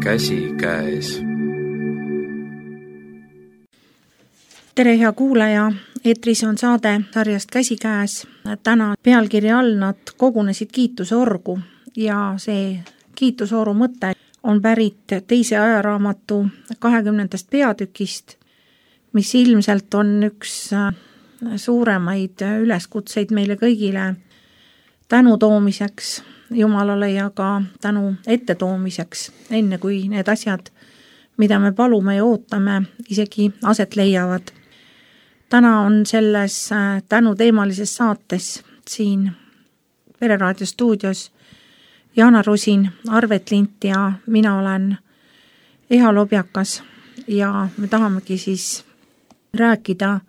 käsikäes. Tere, hea kuulaja! Eetris on saade sarjast Käsikäes. Täna pealkirja all nad kogunesid kiitusorgu ja see kiitusoru mõte on pärit teise ajaraamatu 20. peatükist, mis ilmselt on üks suuremaid üleskutseid meile kõigile tänu toomiseks Jumalale ja ka tänu ettetoomiseks, enne kui need asjad, mida me palume ja ootame, isegi aset leiavad. Täna on selles tänuteemalises saates siin Pereraadio stuudios Jaana Rusin, Arvet Lint ja mina olen Eha Lobjakas ja me tahamegi siis rääkida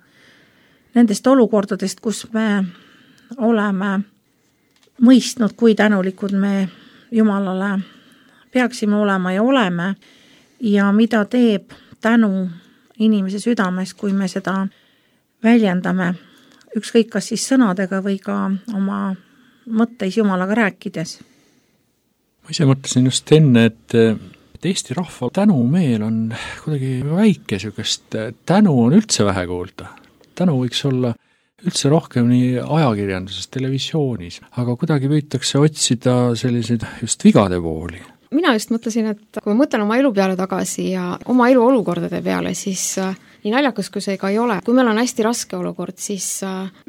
nendest olukordadest, kus me oleme mõistnud, kui tänulikud me Jumalale peaksime olema ja oleme ja mida teeb tänu inimese südames, kui me seda väljendame, ükskõik kas siis sõnadega või ka oma mõtteis Jumalaga rääkides. Ma ise mõtlesin just enne, et Eesti rahva tänumeel on kuidagi väike, sükest tänu on üldse vähe kuulda. Tänu võiks olla üldse rohkem nii ajakirjanduses, televisioonis, aga kuidagi püütakse otsida selliseid just vigade pooli. Mina just mõtlesin, et kui ma mõtlen oma elu peale tagasi ja oma elu olukordade peale, siis nii naljakas kui see ka ei ole. Kui meil on hästi raske olukord, siis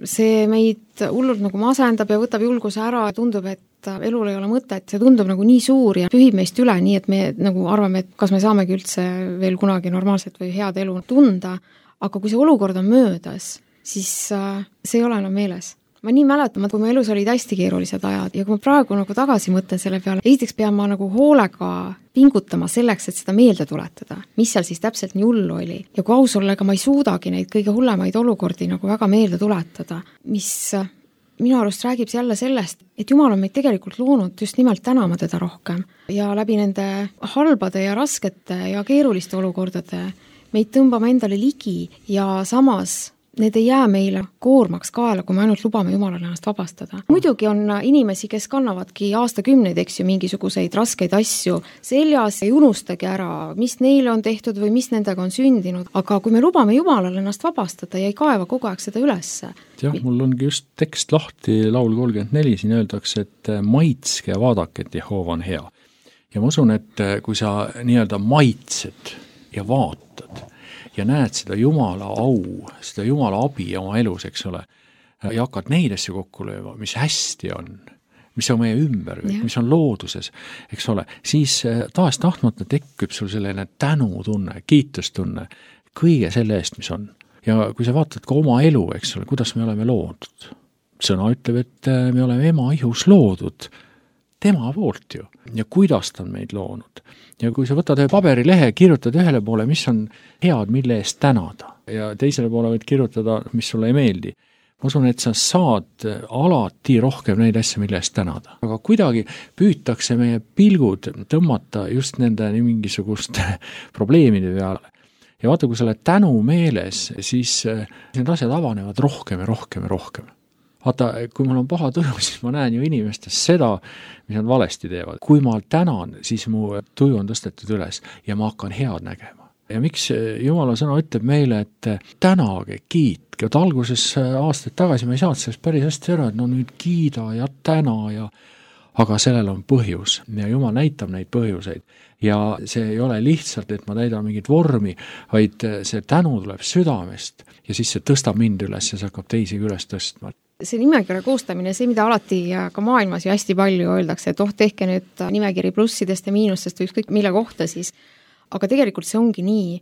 see meid hullult nagu masendab ja võtab julguse ära ja tundub, et elul ei ole mõtet, see tundub nagu nii suur ja pühib meist üle, nii et me nagu arvame, et kas me saamegi üldse veel kunagi normaalset või head elu tunda, aga kui see olukord on möödas, siis see ei ole enam meeles. Ma nii mäletan, kui mu elus olid hästi keerulised ajad ja kui ma praegu nagu tagasi mõtlen selle peale, esiteks pean ma nagu hoolega pingutama selleks, et seda meelde tuletada, mis seal siis täpselt nii hullu oli. Ja kui aus olla, ega ma ei suudagi neid kõige hullemaid olukordi nagu väga meelde tuletada, mis minu arust räägib jälle sellest, et Jumal on meid tegelikult loonud just nimelt tänama teda rohkem ja läbi nende halbade ja raskete ja keeruliste olukordade meid tõmbame endale ligi ja samas need ei jää meile koormaks kaela, kui me ainult lubame Jumalale ennast vabastada. Muidugi on inimesi, kes kannavadki aastakümneid, eks ju, mingisuguseid raskeid asju seljas, ei unustagi ära, mis neile on tehtud või mis nendega on sündinud, aga kui me lubame Jumalale ennast vabastada ja ei kaeva kogu aeg seda ülesse. Jah, mul ongi just tekst lahti, laul 34, siin öeldakse, et maitske ja vaadake, et Jehova on hea. Ja ma usun, et kui sa nii-öelda maitsed ja vaatad, ja näed seda Jumala au, seda Jumala abi oma elus, eks ole, ja hakkad neid asju kokku lööma, mis hästi on, mis on meie ümber, mis on looduses, eks ole, siis taas tahtmata tekkub sul selline tänutunne, kiitustunne kõige selle eest, mis on. Ja kui sa vaatad ka oma elu, eks ole, kuidas me oleme loodud. Sõna ütleb, et me oleme ema ihus loodud, tema poolt ju, ja kuidas ta on meid loonud. Ja kui sa võtad ühe paberilehe, kirjutad ühele poole, mis on head, mille eest tänada, ja teisele poole võid kirjutada, mis sulle ei meeldi. Ma usun, et sa saad alati rohkem neid asju, mille eest tänada. Aga kuidagi püütakse meie pilgud tõmmata just nende mingisuguste probleemide peale. Ja vaata, kui sa oled tänu meeles, siis need asjad avanevad rohkem ja rohkem ja rohkem. Vaata, kui mul on paha tuju, siis ma näen ju inimestes seda, mis nad valesti teevad. Kui ma tänan, siis mu tuju on tõstetud üles ja ma hakkan head nägema. Ja miks Jumala sõna ütleb meile, et tänage, kiitke. Alguses aastaid tagasi ma ei saanud sellest päris hästi ära, et no nüüd kiida ja täna ja aga sellel on põhjus ja Jumal näitab neid põhjuseid. Ja see ei ole lihtsalt, et ma täidan mingit vormi, vaid see tänu tuleb südamest ja siis see tõstab mind üles ja see hakkab teisi üles tõstma. See nimekirja koostamine, see, mida alati ka maailmas ju hästi palju öeldakse, et tehke nüüd nimekiri plussidest ja miinustest või ükskõik mille kohta siis, aga tegelikult see ongi nii.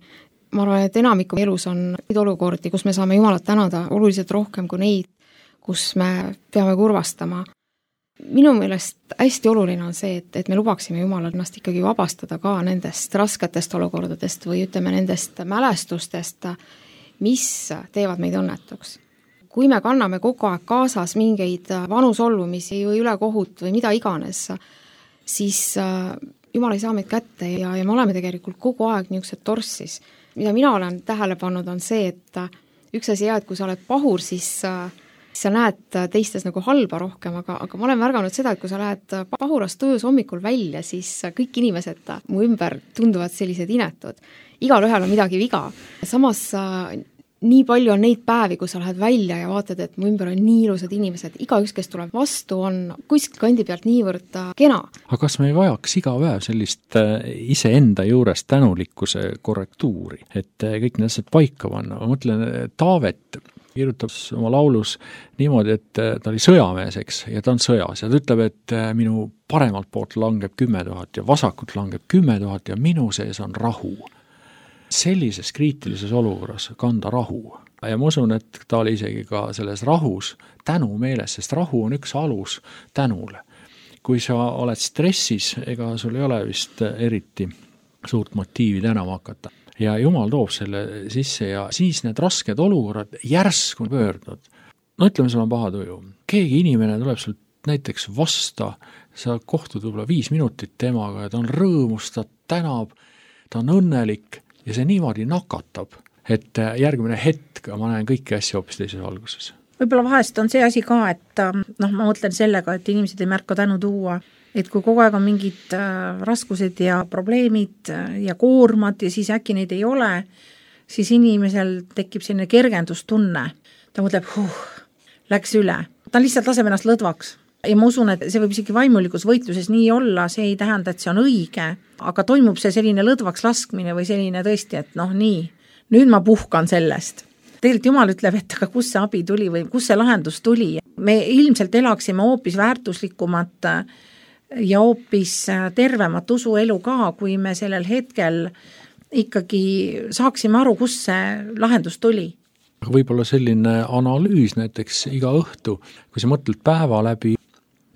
Ma arvan, et enamiku elus on neid olukordi, kus me saame Jumalat tänada oluliselt rohkem kui neid, kus me peame kurvastama. Minu meelest hästi oluline on see, et me lubaksime Jumalal ennast ikkagi vabastada ka nendest rasketest olukordadest või ütleme nendest mälestustest, mis teevad meid õnnetuks. Kui me kanname kogu aeg kaasas mingeid vanu solvumisi või ülekohut või mida iganes, siis Jumal ei saa meid kätte ja me oleme tegelikult kogu aeg niisugused torssis. Mida mina olen tähele pannud on see, et üks asi et kui sa oled pahur, siis sa näed teistes nagu halba rohkem, aga ma olen märganud seda, et kui sa lähed pahurastujus hommikul välja, siis kõik inimesed mu ümber tunduvad sellised inetud. Igalühel on midagi viga. Samas nii palju on neid päevi, kui sa lähed välja ja vaatad, et mu ümber on nii ilusad inimesed. Igaüks, kes tuleb vastu, on kuskil kandi pealt niivõrd kena. Aga kas me ei vajaks iga päev sellist iseenda juures tänulikkuse korrektuuri, et kõik need asjad paika panna? Ma mõtlen, Taavet kirjutab oma laulus niimoodi, et ta oli sõjamees, eks, ja ta on sõjas ja ta ütleb, et minu paremalt poolt langeb 10 000 ja vasakult langeb 10 000 ja minu sees on rahu. Sellises kriitilises olukorras kanda rahu. Ja ma usun, et ta oli isegi ka selles rahus tänu meeles, sest rahu on üks alus tänule. Kui sa oled stressis, ega sul ei ole vist eriti suurt motiivi tänama hakata. Ja Jumal toob selle sisse ja siis need rasked olukorrad järsku pöördunud. No ütleme, sul on paha tuju. Keegi inimene tuleb sul näiteks vasta, sa kohtud võib-olla 5 minutit temaga ja ta on rõõmus, ta tänab, ta on õnnelik ja see niimoodi nakatab, et järgmine hetk ma näen kõiki asju hoopis teises valguses. Võib-olla vahest on see asi ka, et ma mõtlen sellega, et inimesed ei märka tänu tuua, et kui kogu aeg on mingid raskused ja probleemid ja koormad ja siis äkki neid ei ole, siis inimesel tekib selline kergendustunne. Ta mõtleb, läks üle. Ta lihtsalt laseb ennast lõdvaks. Ja ma usun, et see võib isegi vaimulikus võitluses nii olla, see ei tähenda, et see on õige, aga toimub see selline lõdvaks laskmine või selline tõesti, et nii, nüüd ma puhkan sellest. Tegelikult Jumal ütleb, et aga kus see abi tuli või kus see lahendus tuli. Me ilmselt elaksime hoopis väärtuslikumat ja hoopis tervemat usuelu ka, kui me sellel hetkel ikkagi saaksime aru, kus see lahendus tuli. Võib-olla selline analüüs näiteks iga õhtu, kui sa mõtled päeva läbi,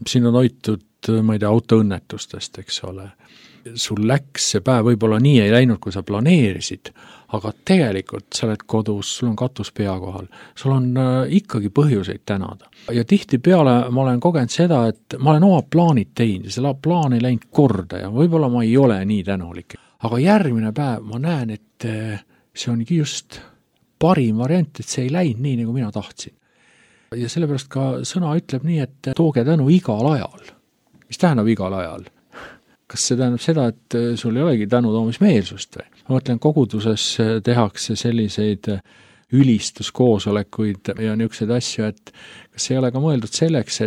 siin on hoitud, ma ei tea, autoõnnetustest, eks ole. Sul läks see päev võib-olla nii ei läinud, kui sa planeerisid, aga tegelikult sa oled kodus, sul on katus pea kohal, sul on ikkagi põhjuseid tänada. Ja tihti peale ma olen kogenud seda, et ma olen oma plaanid teinud ja selle plaan ei läinud korda ja võib-olla ma ei ole nii tänulik. Aga järgmine päev ma näen, et see ongi just parim variant, et see ei läinud nii, nagu mina tahtsin. Ja sellepärast ka sõna ütleb nii, et tooge tänu igal ajal. Mis tähendab igal ajal? Kas see tähendab seda, et sul ei olegi tänu toomismeelsust või? Ma mõtlen, koguduses tehakse selliseid ülistuskoosolekuid ja niisuguseid asju, et kas ei ole ka mõeldud selleks,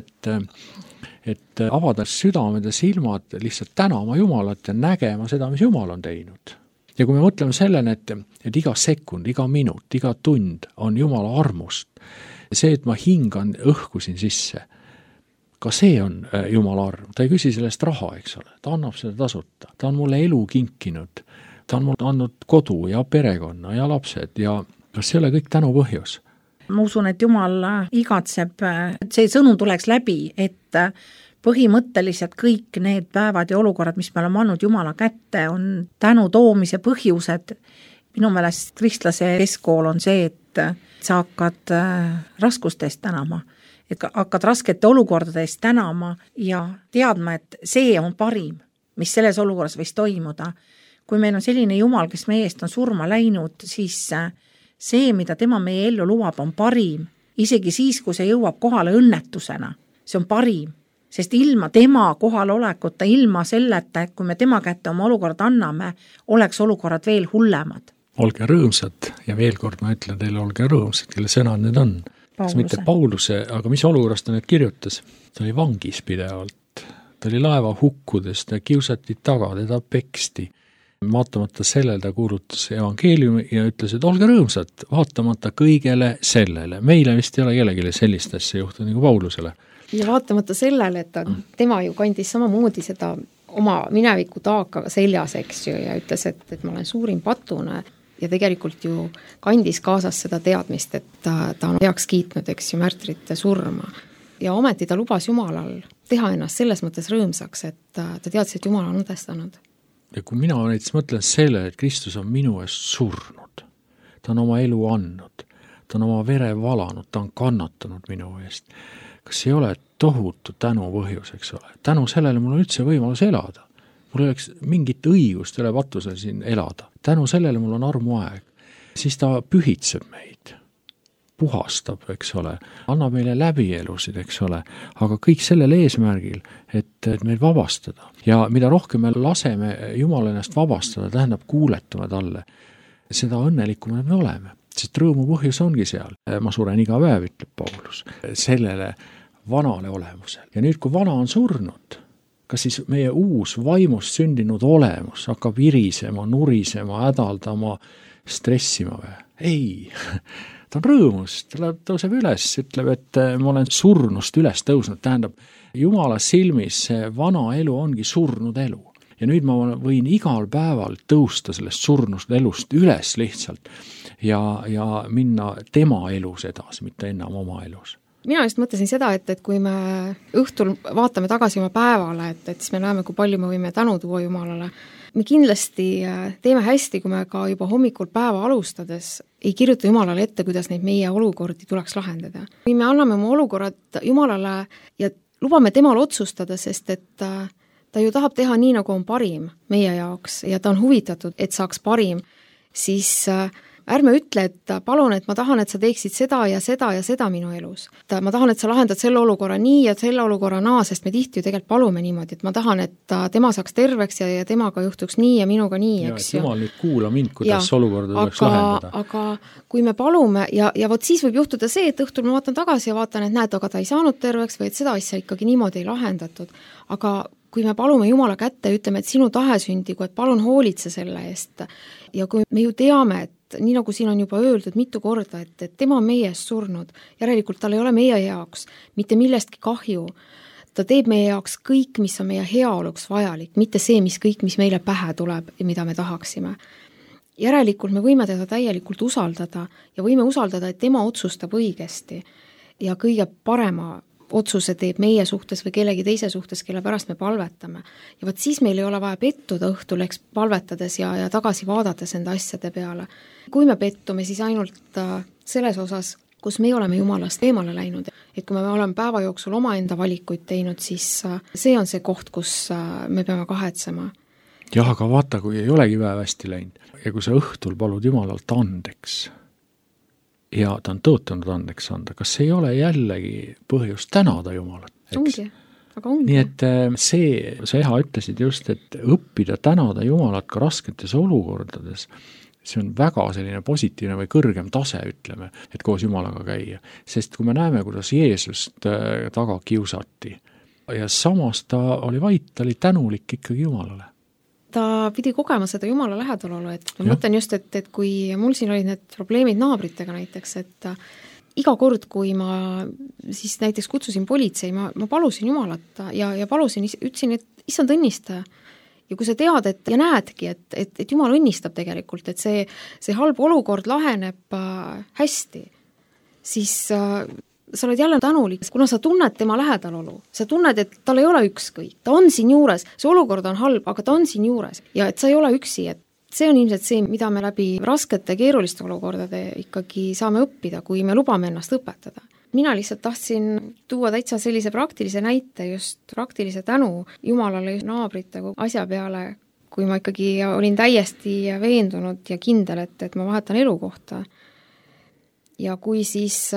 et avada südamed ja silmad lihtsalt tänama Jumalat ja nägema seda, mis Jumal on teinud. Ja kui me mõtleme sellele, et iga sekund, iga minut, iga tund on Jumala armust, see, et ma hingan õhku siin sisse, ka see on Jumala arm. Ta ei küsi sellest raha, eks ole. Ta annab seda tasuta. Ta on mulle elu kinkinud. Ta on mulle andnud kodu ja perekonna ja lapsed ja kas see ei ole kõik tänu põhjus? Ma usun, et Jumal igatseb, et see sõnum tuleks läbi, et põhimõtteliselt kõik need päevad ja olukorrad, mis me oleme andnud Jumala kätte, on tänu toomise põhjused. Minu meelest kristlase keskkool on see, et sa hakkad raskustest tänama, et hakkad raskete olukordadest tänama ja teadma, et see on parim, mis selles olukorras võis toimuda. Kui meil on selline Jumal, kes meie eest on surma läinud, siis see, mida tema meie ellu lubab, on parim. Isegi siis, kui see jõuab kohale õnnetusena, see on parim. Sest ilma tema kohalolekuta, ilma selleta, et kui me tema kätte oma olukorrad anname, oleks olukorrad veel hullemad. Olge rõõmsad ja veel kord ma ütlen teile, olge rõõmsad, kelle sõnad need on. Kas mitte Pauluse, aga mis olukorrast ta need kirjutas? Ta oli vangis pidevalt, ta oli laeva hukkudes, ta kiusati taga, teda peksti. Vaatamata sellele ta kuulutas evangeeliumi ja ütles, et olge rõõmsad, vaatamata kõigele sellele. Meile vist ei ole kellelegi sellist asja juhtunud nagu Paulusele. Ja vaatamata sellele, et tema ju kandis samamoodi seda oma mineviku taaka seljas, eks ju, ja ütles, et ma olen suurim patune ja tegelikult ju kandis kaasas seda teadmist, et ta on heaks kiitnud, eks ju, märtrite surma. Ja ometi ta lubas Jumalal teha ennast selles mõttes rõõmsaks, et ta teadis, et Jumal on õdestanud. Ja kui mina näiteks mõtlen selle, et Kristus on minu eest surnud, ta on oma elu andnud, ta on oma vere valanud, ta on kannatanud minu eest, kas ei ole tohutu tänu põhjus, eks ole? Tänu sellele mul on üldse võimalus elada. Mul oleks mingit õigust üle patusel siin elada. Tänu sellele mul on armuaeg. Siis ta pühitseb meid. puhastab, eks ole, annab meile läbielusid, eks ole, aga kõik sellel eesmärgil, et meid vabastada. Ja mida rohkem me laseme Jumala ennast vabastada, tähendab kuuletume talle, seda õnnelikumad me oleme. Sest rõõmu põhjus ongi seal. Ma suren iga päev, ütleb Paulus, sellele vanale olemusele. Ja nüüd, kui vana on surnud, kas siis meie uus vaimust sündinud olemus hakkab virisema, nurisema, hädaldama, stressima või? Ei, ta on rõõmus, ta tõuseb üles, ütleb, et ma olen surnust üles tõusnud, tähendab, Jumala silmis see vana elu ongi surnud elu. Ja nüüd ma võin igal päeval tõusta sellest surnust elust üles lihtsalt ja minna tema elus edasi, mitte enam oma elus. Mina just mõtlesin seda, et kui me õhtul vaatame tagasi oma päevale, et siis me näeme, kui palju me võime tänu tuua Jumalale. Me kindlasti teeme hästi, kui me ka juba hommikul päeva alustades ei kirjuta Jumalale ette, kuidas neid meie olukordi tuleks lahendada. Kui me anname oma olukorrad Jumalale ja lubame temal otsustada, sest et ta ju tahab teha nii, nagu on parim meie jaoks ja ta on huvitatud, et saaks parim, siis ärme ütle, et palun, et ma tahan, et sa teeksid seda ja seda ja seda minu elus. Ma tahan, et sa lahendad selle olukorra nii ja selle olukorra naa, sest me tihti ju tegelikult palume niimoodi, et ma tahan, et tema saaks terveks ja temaga juhtuks nii ja minuga nii, eks ju. Jumal nüüd kuula mind, kuidas olukorda tuleks lahendada. Aga kui me palume ja vot siis võib juhtuda see, et õhtul ma vaatan tagasi ja vaatan, et näed, aga ta ei saanud terveks või et seda asja ikkagi niimoodi ei lahendatud. Aga kui me palume Jumala kätte ja ütleme, et sinu tahe sündigu, et palun hoolitse selle eest ja kui me ju teame, et nii nagu siin on juba öeldud mitu korda, et tema on meie eest surnud, järelikult tal ei ole meie jaoks mitte millestki kahju, ta teeb meie jaoks kõik, mis on meie heaoluks vajalik, mitte see, mis meile pähe tuleb ja mida me tahaksime. Järelikult me võime teda täielikult usaldada ja võime usaldada, et tema otsustab õigesti ja kõige parema otsuse teeb meie suhtes või kellegi teise suhtes, kelle pärast me palvetame. Ja võt siis meil ei ole vaja pettuda õhtul, eks palvetades ja tagasi vaadates enda asjade peale. Kui me pettume, siis ainult selles osas, kus me oleme Jumalast eemale läinud. Et kui me oleme päeva jooksul omaenda valikuid teinud, siis see on see koht, kus me peame kahetsema. Jah, aga vaata, kui ei olegi päev hästi läinud ja kui sa õhtul palud Jumalalt andeks ja ta on tõotanud andeks anda, kas ei ole jällegi põhjust tänada Jumalat? Ongi, aga ongi. Nii et sa Eha ütlesid just, et õppida tänada Jumalat ka rasketes olukordades, see on väga selline positiivne või kõrgem tase, ütleme, et koos Jumalaga käia. Sest kui me näeme, kuidas Jeesust taga kiusati ja samas ta oli vait, ta oli tänulik ikkagi Jumalale. Ta pidi kogema seda Jumala lähedalolu, et ma mõtlen just, et kui mul siin olid need probleemid naabritega näiteks, et iga kord, kui ma siis näiteks kutsusin politsei, ma palusin Jumalat ja palusin, ütlesin, et issand õnnistaja. Ja kui sa tead, ja näedki, et Jumal õnnistab tegelikult, et see halb olukord laheneb hästi, siis sa oled jälle tänulik, kuna sa tunned tema lähedalolu. Sa tunned, et tal ei ole ükskõik. Ta on siin juures, see olukord on halb, aga ta on siin juures. Ja et sa ei ole üksi, et see on ilmselt see, mida me läbi raskete keeruliste olukordade ikkagi saame õppida, kui me lubame ennast õpetada. Mina lihtsalt tahtsin tuua täitsa sellise praktilise näite, just praktilise tänu Jumalale naabrite asja peale, kui ma ikkagi olin täiesti veendunud ja kindel, et ma vahetan elukohta. Ja kui siis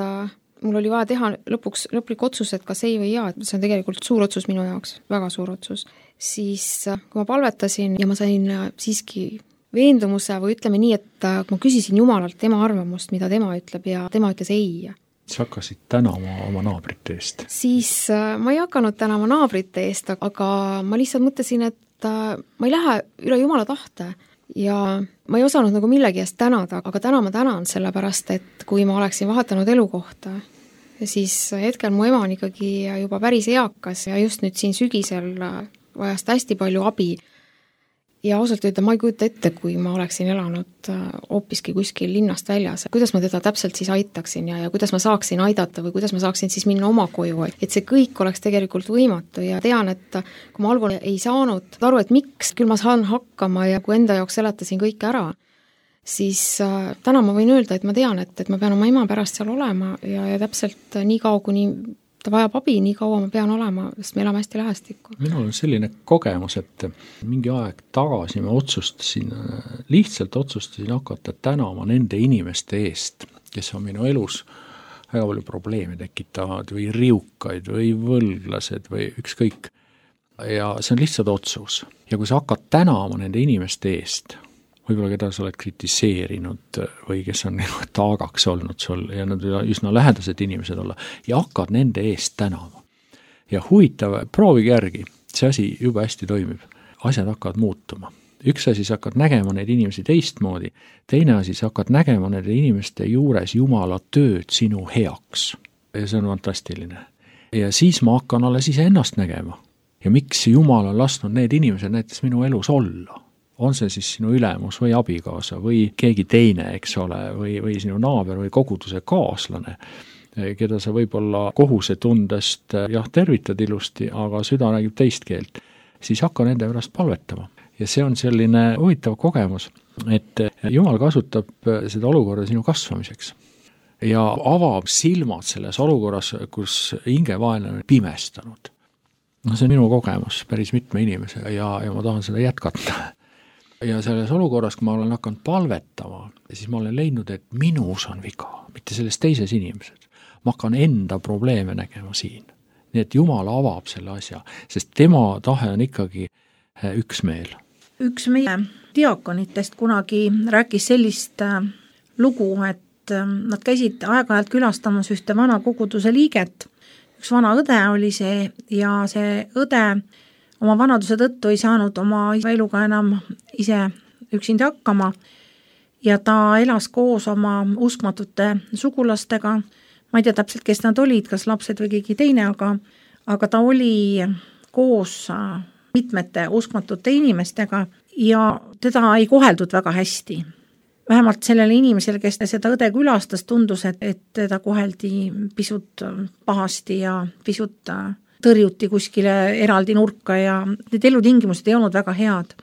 mul oli vaja teha lõplik otsus, et kas ei või jaa, et see on tegelikult suur otsus minu jaoks, väga suur otsus, siis kui ma palvetasin ja ma sain siiski veendumuse või ütleme nii, et ma küsisin Jumalalt tema arvamust, mida tema ütleb ja tema ütles ei. Sa hakkasid tänama oma naabrite eest? Siis ma ei hakanud tänama naabrite eest, aga ma lihtsalt mõtlesin, et ma ei lähe üle Jumala tahte ja ma ei osanud nagu millegi eest tänada, aga täna ma tänan sellepärast, et kui ma oleksin vahetanud elukohta, siis hetkel mu ema on ikkagi juba päris eakas ja just nüüd siin sügisel vajas hästi palju abi. Ja ausalt öelda, ma ei kujuta ette, kui ma oleksin elanud hoopiski kuskil linnast väljas. Kuidas ma teda täpselt siis aitaksin ja kuidas ma saaksin aidata või kuidas ma saaksin siis minna oma koju. Et see kõik oleks tegelikult võimatu ja tean, et kui ma algul ei saanud aru, et miks, küll ma saan hakkama ja kui enda jaoks seletasin kõik ära, siis täna ma võin öelda, et ma tean, et ma pean oma ema pärast seal olema ja täpselt nii kaua, kuni ta vajab abi, nii kaua ma pean olema, sest me elame hästi lähestikku. Minul on selline kogemus, et mingi aeg tagasi ma lihtsalt otsustasin hakata tänama nende inimeste eest, kes on minu elus väga palju probleeme tekitavad või riukaid või võlglased või ükskõik. Ja see on lihtsalt otsus. Ja kui sa hakkad tänama nende inimeste eest, võib-olla keda sa oled kritiseerinud või kes on taagaks olnud sul ja nad üsna lähedased inimesed olla ja hakkad nende eest tänama. Ja huvitav, proovige järgi, see asi juba hästi toimib. Asjad hakkavad muutuma. Üks asi, sa hakkad nägema neid inimesi teistmoodi, teine asi, sa hakkad nägema nende inimeste juures Jumala tööd sinu heaks. Ja see on fantastiline. Ja siis ma hakkan alles ise ennast nägema. Ja miks Jumal on lasknud need inimesed näiteks minu elus olla? On see siis sinu ülemus või abikaasa või keegi teine, eks ole, või sinu naaber või koguduse kaaslane, keda sa võib-olla kohusetundest tervitad ilusti, aga süda räägib teist keelt, siis hakka nende pärast palvetama. Ja see on selline huvitav kogemus, et Jumal kasutab seda olukorda sinu kasvamiseks ja avab silmad selles olukorras, kus hingevaenlane on pimestanud. No see on minu kogemus päris mitme inimesega ja ma tahan seda jätkata. Ja selles olukorras, kui ma olen hakanud palvetama, siis ma olen leidnud, et minus on viga, mitte selles teises inimesed. Ma hakkan enda probleeme nägema siin. Nii et Jumal avab selle asja, sest tema tahe on ikkagi üksmeel. Üks meie diakonitest kunagi rääkis sellist lugu, et nad käisid aeg-ajalt külastamas ühte vana koguduse liiget. Üks vana õde oli see ja see õde oma vanaduse tõttu ei saanud oma eluga enam ise üksinda hakkama ja ta elas koos oma uskmatute sugulastega. Ma ei tea täpselt, kes nad olid, kas lapsed või keegi teine, aga ta oli koos mitmete uskmatute inimestega ja teda ei koheldud väga hästi. Vähemalt sellele inimesele, kes seda õde külastas, tundus, et teda koheldi pisut pahasti ja pisut tõrjuti kuskile eraldi nurka ja need elutingimused ei olnud väga head.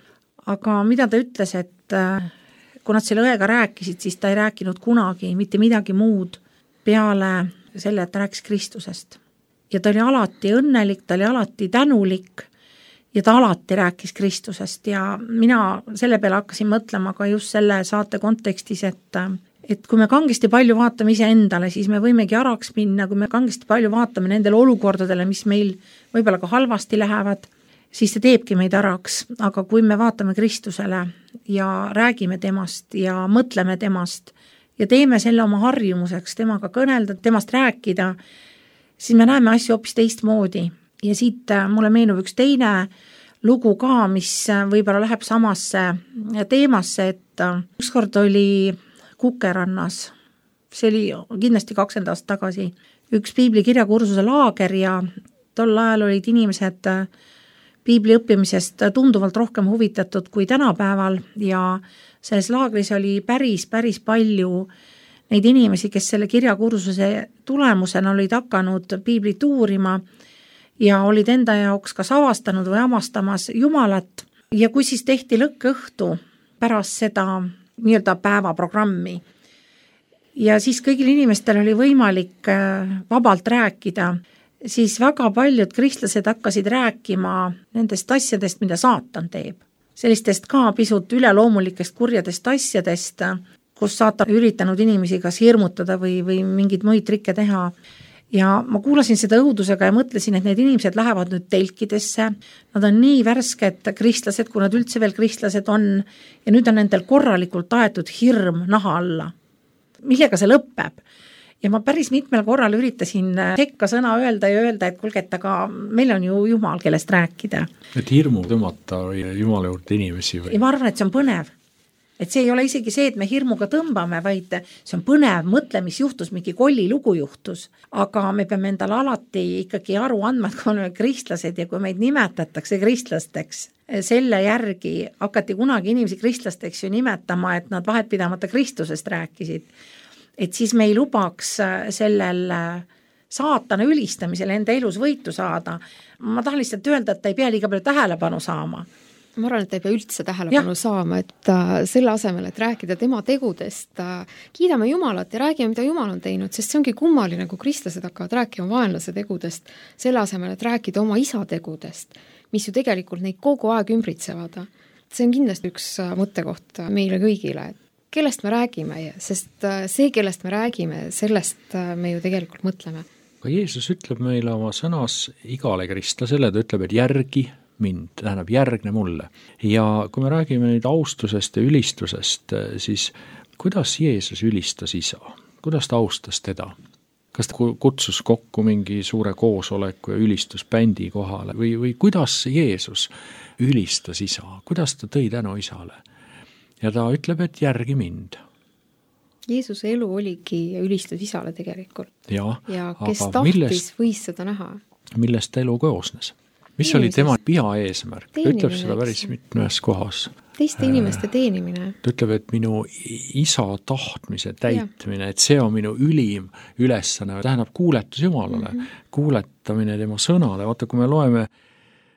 Aga mida ta ütles, et kui nad selle õega rääkisid, siis ta ei rääkinud kunagi mitte midagi muud peale selle, et ta rääkis Kristusest. Ja ta oli alati õnnelik, ta oli alati tänulik ja ta alati rääkis Kristusest ja mina selle peale hakkasin mõtlema ka just selle saate kontekstis, et kui me kangesti palju vaatame ise endale, siis me võimegi araks minna, kui me kangesti palju vaatame nendele olukordadele, mis meil võib-olla ka halvasti lähevad, siis see teebki meid araks, aga kui me vaatame Kristusele ja räägime temast ja mõtleme temast ja teeme selle oma harjumuseks, temaga kõnelda, temast rääkida, siis me näeme asju hoopis teistmoodi. Ja siit mulle meenub üks teine lugu ka, mis võib-olla läheb samasse teemasse, et ükskord oli Kukerannas, see oli kindlasti 20 aastat tagasi, üks piibli kirjakursuse laager ja tol ajal olid inimesed piibli õppimisest tunduvalt rohkem huvitatud kui tänapäeval ja selles laagris oli päris palju neid inimesi, kes selle kirjakursuse tulemusena olid hakanud piiblit uurima ja olid enda jaoks kas avastanud või avastamas Jumalat ja kui siis tehti lõkkõhtu pärast seda nii-öelda päevaprogrammi. Ja siis kõigil inimestel oli võimalik vabalt rääkida, siis väga paljud kristlased hakkasid rääkima nendest asjadest, mida saatan teeb. Sellistest ka pisut üleloomulikest kurjadest asjadest, kus saatan üritanud inimesi kas hirmutada või mingid muid trikke teha. Ja ma kuulasin seda õudusega ja mõtlesin, et need inimesed lähevad nüüd telkidesse, nad on nii värsked kristlased, kui nad üldse veel kristlased on, ja nüüd on nendel korralikult aetud hirm naha alla. Millega see lõpeb? Ja ma päris mitmel korral üritasin sekka sõna öelda ja öelda, et kuulge, et aga meil on ju Jumal, kellest rääkida. Et hirmu tõmmata või Jumala juurde inimesi või? Ja ma arvan, et see on põnev. Et see ei ole isegi see, et me hirmuga tõmbame, vaid see on põnev, mõtle, mis juhtus, mingi kolli lugu juhtus. Aga me peame endale alati ikkagi aru andma, et kui oleme kristlased ja kui meid nimetatakse kristlasteks, selle järgi hakati kunagi inimesi kristlasteks ju nimetama, et nad vahetpidamata Kristusest rääkisid. Et siis me ei lubaks sellel saatana ülistamisel enda elus võitu saada. Ma tahan lihtsalt öelda, et ta ei pea liiga palju tähelepanu saama. Ma arvan, et ta ei pea üldse tähelepanu saama, et selle asemel, et rääkida tema tegudest, kiidame Jumalat ja räägime, mida Jumal on teinud, sest see ongi kummaline, kui kristlased hakkavad rääkima vaenlase tegudest, selle asemel, et rääkida oma isa tegudest, mis ju tegelikult neid kogu aeg ümbritsevad. See on kindlasti üks mõttekoht meile kõigile, kellest me räägime, sest see, kellest me räägime, sellest me ju tegelikult mõtleme. Aga Jeesus ütleb meile oma sõnas igale kristlasele, ta ütleb, et järgi mind, tähendab järgne mulle. Ja kui me räägime nüüd austusest ja ülistusest, siis kuidas Jeesus ülistas isa? Kuidas ta austas teda? Kas ta kutsus kokku mingi suure koosoleku ja ülistusbändi kohale või kuidas Jeesus ülistas isa? Kuidas ta tõi tänu isale? Ja ta ütleb, et järgi mind. Jeesuse elu oligi ülistus isale tegelikult. Ja kes tahtis, võis seda näha. Millest ta elu koosnes? Mis oli tema eesmärk? Ta ütleb seda päris mitmes kohas. Teiste inimeste teenimine. Ta ütleb, et minu isa tahtmise täitmine, et see on minu ülim ülesanne, tähendab kuuletus Jumalale, kuuletamine tema sõnale. Vaata, kui me loeme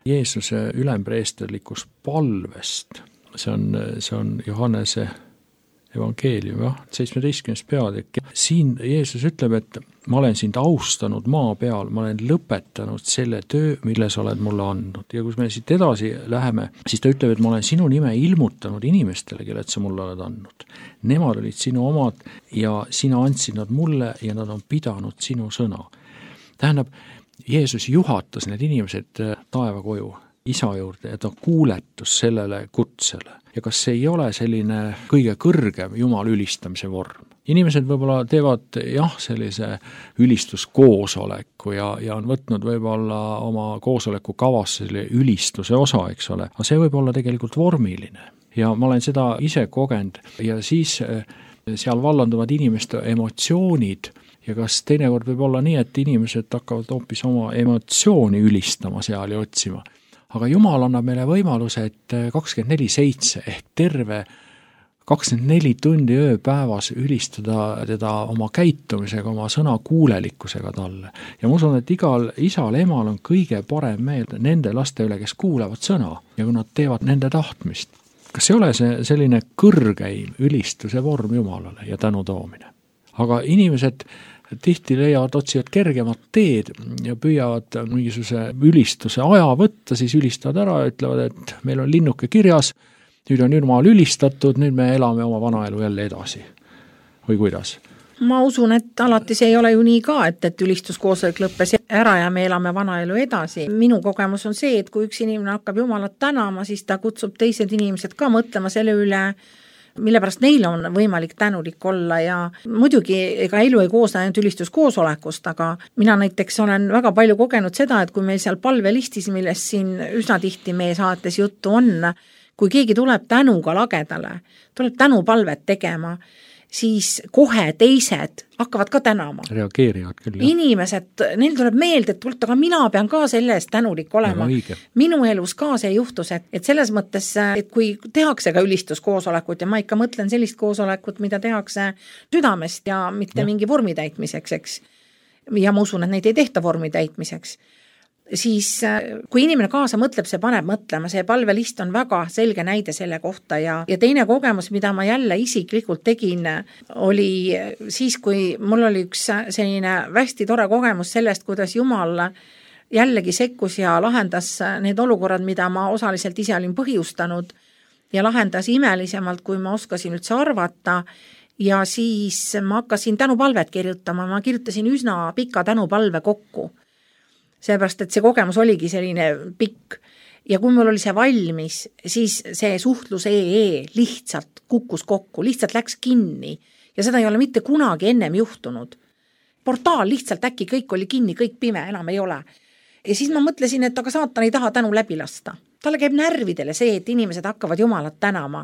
Jeesuse ülempreesterlikust palvest, see on Johannese evangeelium, 17. peatükk. Siin Jeesus ütleb, et ma olen sind austanud maa peal, ma olen lõpetanud selle töö, mille sa oled mulle andnud. Ja kui me siit edasi läheme, siis ta ütleb, et ma olen sinu nime ilmutanud inimestele, kellelt sa mulle oled andnud. Nemad olid sinu omad ja sina andsid nad mulle ja nad on pidanud sinu sõna. Tähendab, Jeesus juhatas need inimesed taeva koju, isa juurde, ja ta kuuletus sellele kutsele. Ja kas see ei ole selline kõige kõrgem Jumala ülistamise vorm? Inimesed võib-olla teevad sellise ülistuskoosoleku ja on võtnud võib-olla oma koosoleku kavasse selle ülistuse osa, eks ole, aga see võib olla tegelikult vormiline. Ja ma olen seda ise kogenud ja siis seal vallanduvad inimeste emotsioonid ja kas teinekord võib olla nii, et inimesed hakkavad hoopis oma emotsiooni ülistama seal ja otsima. Aga Jumal annab meile võimaluse, et 24/7 ehk terve 24 tundi ööpäevas ülistada teda oma käitumisega, oma sõna kuulelikkusega talle. Ja ma usun, et igal isal, emal on kõige parem meel nende laste üle, kes kuulevad sõna ja kui nad teevad nende tahtmist. Kas ei ole see selline kõrgeim ülistuse vorm Jumalale ja tänu toomine? Aga inimesed tihti leiavad, otsivad kergemat teed ja püüavad mingisuguse ülistuse aja võtta, siis ülistavad ära ja ütlevad, et meil on linnuke kirjas, nüüd on Jumal ülistatud, nüüd me elame oma vanaelu jälle edasi. Või kuidas? Ma usun, et alati see ei ole ju nii ka, et ülistuskoosolek lõppes ära ja me elame vanaelu edasi. Minu kogemus on see, et kui üks inimene hakkab Jumalat tänama, siis ta kutsub teised inimesed ka mõtlema selle üle, mille pärast neil on võimalik tänulik olla ja muidugi ega elu ei koosne ainult ülistuskoosolekust, aga mina näiteks olen väga palju kogenud seda, et kui meil seal palvelistis, millest siin üsna tihti meie saates juttu on, kui keegi tuleb tänuga lagedale, tuleb tänupalvet tegema, siis kohe teised hakkavad ka tänama. Reageerivad küll, jah. Inimesed, neil tuleb meelde, et aga mina pean ka selle eest tänulik olema. Minu elus ka see juhtus, et selles mõttes, et kui tehakse ka ülistuskoosolekut ja ma ikka mõtlen sellist koosolekut, mida tehakse südamest ja mitte mingi vormi täitmiseks, eks. Ja ma usun, et neid ei tehta vormi täitmiseks. Siis kui inimene kaasa mõtleb, see paneb mõtlema, see palvelist on väga selge näide selle kohta ja teine kogemus, mida ma jälle isiklikult tegin, oli siis, kui mul oli üks selline hästi tore kogemus sellest, kuidas Jumal jällegi sekkus ja lahendas need olukorrad, mida ma osaliselt ise olin põhjustanud ja lahendas imelisemalt, kui ma oskasin üldse arvata. Ja siis ma hakkasin tänupalvet kirjutama, ma kirjutasin üsna pika tänupalve kokku. Seepärast, et see kogemus oligi selline pikk ja kui mul oli see valmis, siis see suhtlus lihtsalt kukkus kokku, lihtsalt läks kinni ja seda ei ole mitte kunagi ennem juhtunud. Portaal lihtsalt äkki kõik oli kinni, kõik pime, enam ei ole. Ja siis ma mõtlesin, et aga saatan ei taha tänu läbi lasta. Talle käib närvidele see, et inimesed hakkavad Jumalat tänama.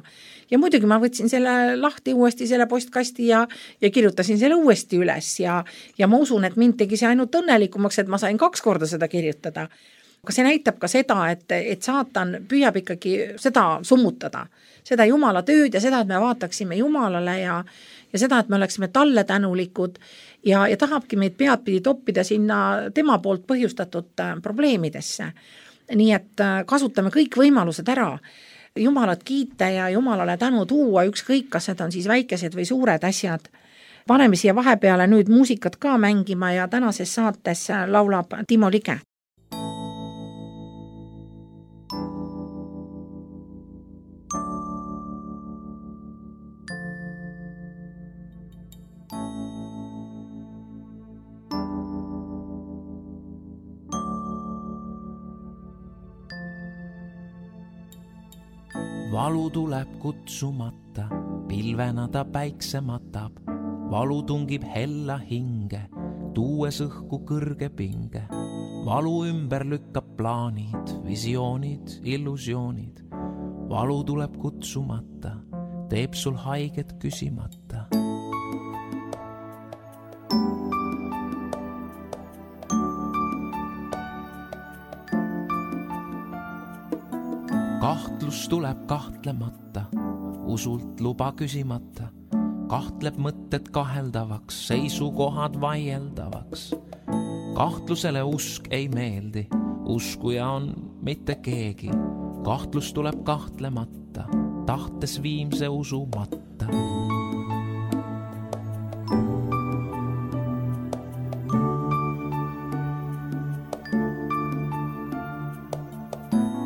Ja muidugi ma võtsin selle lahti uuesti selle postkasti ja kirjutasin selle uuesti üles ja ma usun, et mind tegi see ainult õnnelikumaks, et ma sain 2 korda seda kirjutada. Aga see näitab ka seda, et saatan püüab ikkagi seda summutada, seda Jumala tööd ja seda, et me vaataksime Jumalale ja seda, et me oleksime talle tänulikud ja tahabki meid peadpidi toppida sinna tema poolt põhjustatud probleemidesse. Nii et kasutame kõik võimalused ära, Jumalat kiita ja Jumalale tänu tuua, ükskõik, kas need on siis väikesed või suured asjad. Paneme siia vahepeale nüüd muusikat ka mängima ja tänases saates laulab Timo Lige. valu tuleb kutsumata, pilvena ta päikse matab, valu tungib hella hinge, tuues õhku kõrge pinge. Valu ümber lükkab plaanid, visioonid, illusioonid. Valu tuleb kutsumata, teeb sul haiget küsimata. Kahtlus tuleb kahtlemata, usult luba küsimata. Kahtleb mõtted kaheldavaks, seisukohad vaieldavaks. Kahtlusele usk ei meeldi, uskuja on mitte keegi. Kahtlus tuleb kahtlemata, tahtes viimse usumata.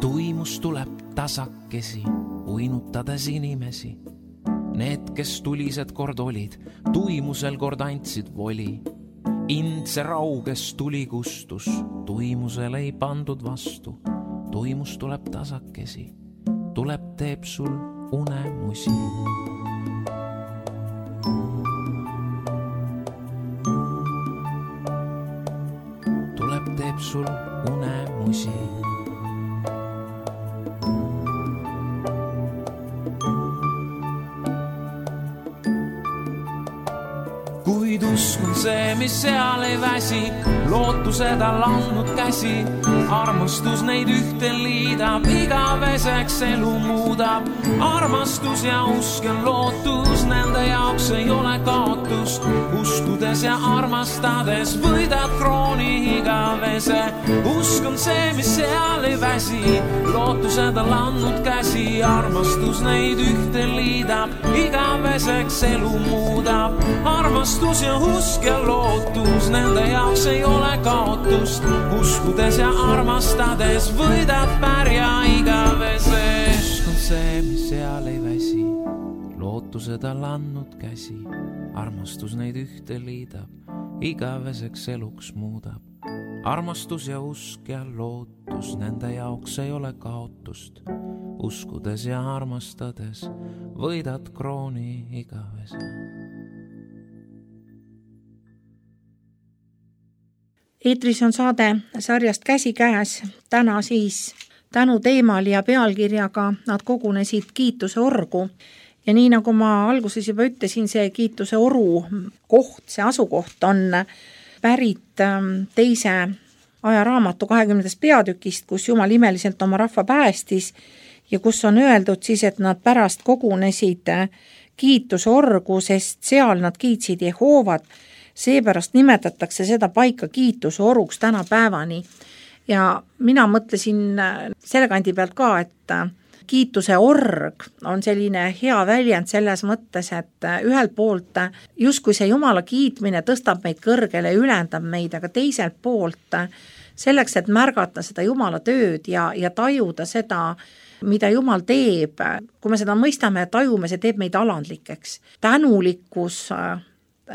Tuimus tuleb tasakesi, uinutades inimesi. Need, kes tulised kord olid, tuimusel kord andsid voli. Indse rauges tuli kustus, tuimusel ei pandud vastu. Tuimus tuleb tasakesi, tuleb teeb sul unemusi. Tuleb teeb sul unemusi. Kuid usk on see, mis seal ei väsi, lootused on landnud käsi. Armastus neid ühte liidab, igaveseks elu muudab. Armastus ja usk on lootus, nende jaoks ei ole kaotust. Uskudes ja armastades võidad krooni igavese. Usk on see, mis seal ei väsi, lootused on landnud käsi. Armastus neid ühte liidab, igaveseks elu muudab. Armastus ja usk ja lootus, nende jaoks ei ole kaotust. Uskudes ja armastades võidad pärja igavese. Usk on see, mis seal ei väsi, lootused on landnud käsi. Armastus neid ühte liidab, igaveseks eluks muudab. Armastus ja usk ja lootus, nende jaoks ei ole kaotust. Uskudes ja armastades võidad krooni igavese. Eetris on saade sarjast Käsikäes, täna siis tänu teemal ja pealkirjaga Nad kogunesid kiituse orgu. Ja nii nagu ma alguses juba ütlesin, see kiituse oru koht, see asukoht on pärit teise ajaraamatu 20. peatükist, kus Jumal imeliselt oma rahva päästis ja kus on öeldud siis, et nad pärast kogunesid kiituse orgu, sest seal nad kiitsid Jehoovat. Seepärast nimetatakse seda paika kiituse oruks tänapäevani. Ja mina mõtlesin selle kandi pealt ka, et kiituse org on selline hea väljend selles mõttes, et ühelt poolt justkui see Jumala kiitmine tõstab meid kõrgele, ülendab meid, aga teiselt poolt selleks, et märgata seda Jumala tööd ja tajuda seda, mida Jumal teeb, kui me seda mõistame ja tajume, see teeb meid alandlikeks. Tänulikkus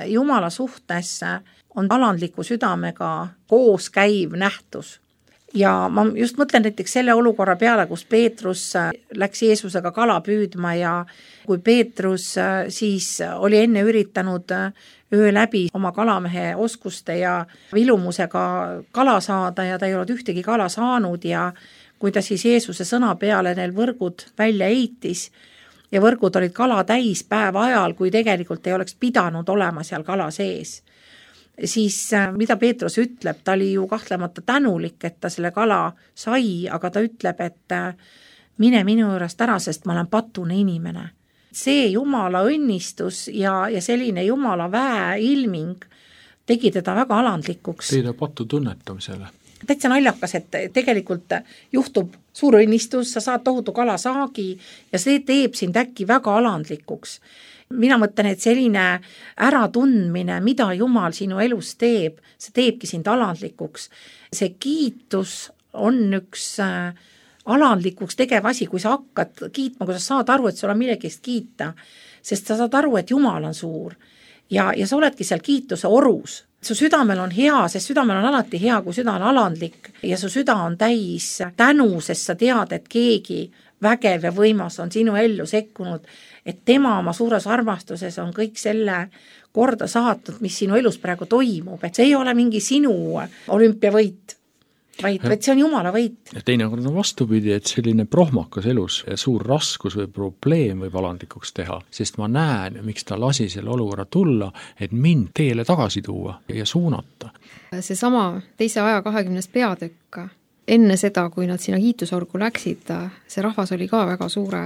Jumala suhtes on alandliku südamega koos käiv nähtus. Ja ma just mõtlen näiteks selle olukorra peale, kus Peetrus läks Jeesusega kala püüdma ja kui Peetrus siis oli enne üritanud öö läbi oma kalamehe oskuste ja vilumusega kala saada ja ta ei olnud ühtegi kala saanud ja kui ta siis Jeesuse sõna peale neil võrgud välja eitis, ja võrgud olid kala täis päeva ajal, kui tegelikult ei oleks pidanud olema seal kala sees. Siis mida Peetrus ütleb, ta oli ju kahtlemata tänulik, et ta selle kala sai, aga ta ütleb, et mine minu juurest ära, sest ma olen patune inimene. See Jumala õnnistus ja selline Jumala väe ilming tegi teda väga alandlikuks. Teile patu tunnetamisele. Täitsa naljakas, et tegelikult juhtub suur õnnistus, sa saad tohutu kalasaagi ja see teeb sind äkki väga alandlikuks. Mina mõtlen, et selline äratundmine, mida Jumal sinu elus teeb, see teebki sind alandlikuks. See kiitus on üks alandlikuks tegev asi, kui sa hakkad kiitma, kui sa saad aru, et sul on millegist kiita, sest sa saad aru, et Jumal on suur ja sa oledki seal kiituse orus. Su südamel on hea, sest südamel on alati hea, kui süda on alandlik ja su süda on täis tänu, sest sa tead, et keegi vägev ja võimas on sinu ellu sekkunud, et tema oma suures armastuses on kõik selle korda saatnud, mis sinu elus praegu toimub, et see ei ole mingi sinu olümpiavõit, vaid see on Jumala võit. Ja teinekord on vastupidi, et selline prohmakas elus ja suur raskus või probleem võib alandlikuks teha, sest ma näen, miks ta lasi selle olukorra tulla, et mind teele tagasi tuua ja suunata. See sama teise aja 20. peatükk, enne seda, kui nad sinna kiitusorgu läksid, see rahvas oli ka väga suure